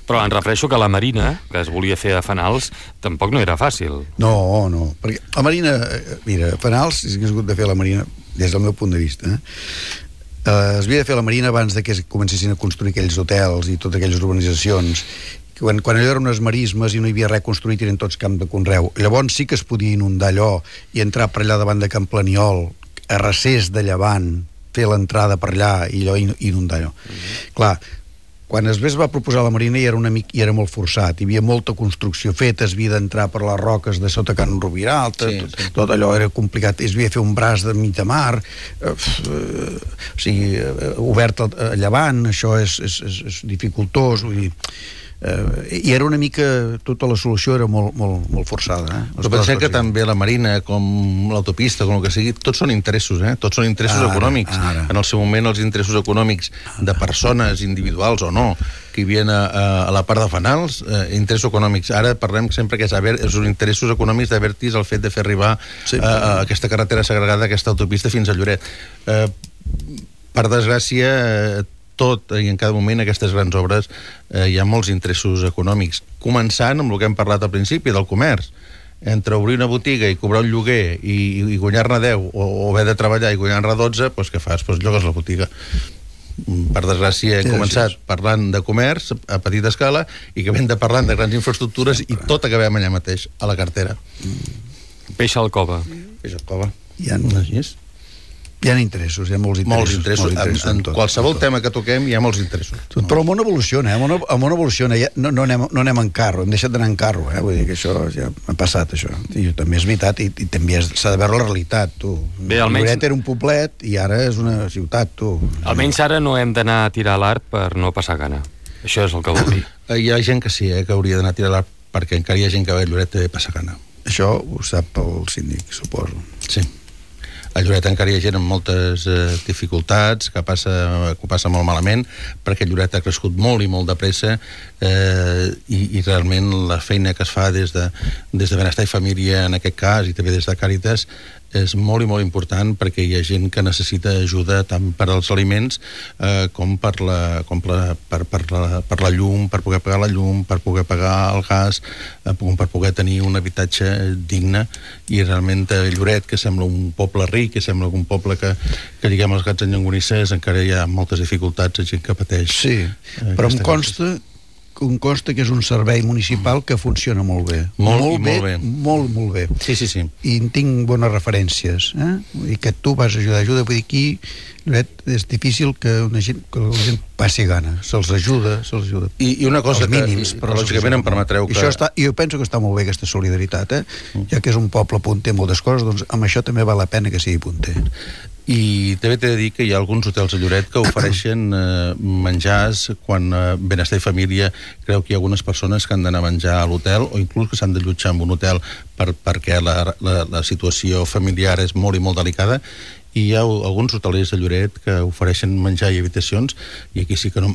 Però em refereixo que la Marina, que es volia fer a Fanals, tampoc no era fàcil. No, perquè la Marina, mira, Fanals, si hagués hagut de fer la Marina, des del meu punt de vista, es havia de fer la Marina abans de que comencessin a construir aquells hotels i totes aquelles urbanitzacions. Quan allò eren unes marismes i no hi havia res construït, eren tots camp de conreu. Llavors sí que es podia inundar allò i entrar per allà davant de Can Planiol, a recés de Llevant, fer l'entrada per allà i allò inundar allò. Clar, quan es va proposar la Marina i era molt forçat, hi havia molta construcció feta, es havia d'entrar per les roques de sota Can Rovira Alta, tot allò era complicat, es havia de fer un braç de mig de mar, o sigui, obert a llevant, això és dificultós, vull dir, i era una mica, tota la solució era molt forçada. Però pensem que també la Marina, com l'autopista, com el que sigui, tots són interessos, tots són interessos econòmics. En el seu moment, els interessos econòmics de persones individuals o no, que hi havia a la part de Fanals, interessos econòmics. Ara parlem sempre que és els interessos econòmics d'Abertis el fet de fer arribar aquesta carretera segregada, aquesta autopista fins a Lloret. Per desgràcia, tot i en cada moment aquestes grans obres hi ha molts interessos econòmics, començant amb el que hem parlat al principi del comerç. Entre obrir una botiga i cobrar un lloguer i guanyar-ne 10 o haver de treballar i guanyar-ne 12, doncs què fas? Doncs llogues la botiga. Per desgràcia hem començat parlant de comerç a petita escala i que hem de parlant de grans infraestructures i tot acabem allà mateix, a la cartera. Peix al cova. Peix al cova. Hi ha interessos, hi ha molts interessos. En qualsevol tema que toquem hi ha molts interessos. Però el món evoluciona, el món evoluciona. No anem en carro, hem deixat d'anar en carro, vull dir que això ja ha passat, això. I també és veritat, i també s'ha de veure la realitat, tu. Lloret era un poblet i ara és una ciutat, tu. Almenys ara no hem d'anar a tirar l'art per no passar gana. Això és el que vol dir. Hi ha gent que sí, que hauria d'anar a tirar l'art perquè encara hi ha gent que va a Lloret de passar gana. Això ho sap el síndic, suposo. Sí. A Lloret encara hi ha gent amb moltes dificultats, que ho passa molt malament, perquè Lloret ha crescut molt i molt de pressa i realment la feina que es fa des de Benestar i Família, en aquest cas, i també des de Càritas, és molt i molt important perquè hi ha gent que necessita ajuda tant per als aliments com per la llum, per poder pagar la llum, per poder pagar el gas, per poder tenir un habitatge digne. I realment Lloret, que sembla un poble ric, que sembla un poble que lliguem els gats en llonganisses, encara hi ha moltes dificultats, gent que pateix. Sí, però em consta que és un servei municipal que funciona molt bé. Molt bé. Sí. I en tinc bones referències. I que tu vas ajuda. Vull dir, aquí és difícil que la gent passi gana. Se'ls ajuda. I una cosa els mínims, que lògicament em permetreu que... Jo penso que està molt bé aquesta solidaritat, ja que és un poble punter moltes coses, doncs amb això també val la pena que sigui punter. I també t'he de dir que hi ha alguns hotels a Lloret que ofereixen menjars quan Benestar i Família creu que hi ha algunes persones que han d'anar a menjar a l'hotel o inclús que s'han d'allotjar en un hotel perquè la situació familiar és molt i molt delicada, i hi ha alguns hotelers a Lloret que ofereixen menjar i habitacions, i aquí sí que no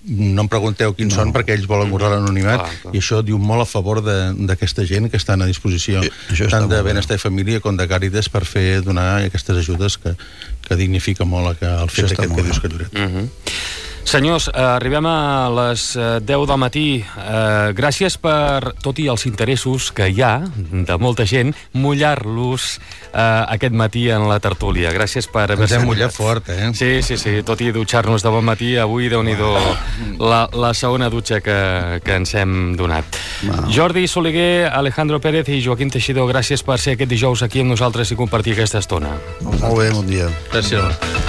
em pregunteu quins són, perquè ells volen guardar l'anonimat, i això diu molt a favor d'aquesta gent que estan a disposició tant de Benestar i Família com de Càritas per donar aquestes ajudes que dignifica molt el fet aquest que dius que Lloret. Senyors, arribem a les 10 del matí. Gràcies per, tot i els interessos que hi ha de molta gent, mullar-los aquest matí en la tertúlia. Gràcies per haver-se... Ens hem mullat fort, Sí, tot i dutxar-nos de bon matí, avui, Déu-n'hi-do, la segona dutxa que ens hem donat. Jordi Soleguer, Alejandro Pérez i Joaquim Teixidor, gràcies per ser aquest dijous aquí amb nosaltres i compartir aquesta estona. Molt bé, bon dia. Gràcies.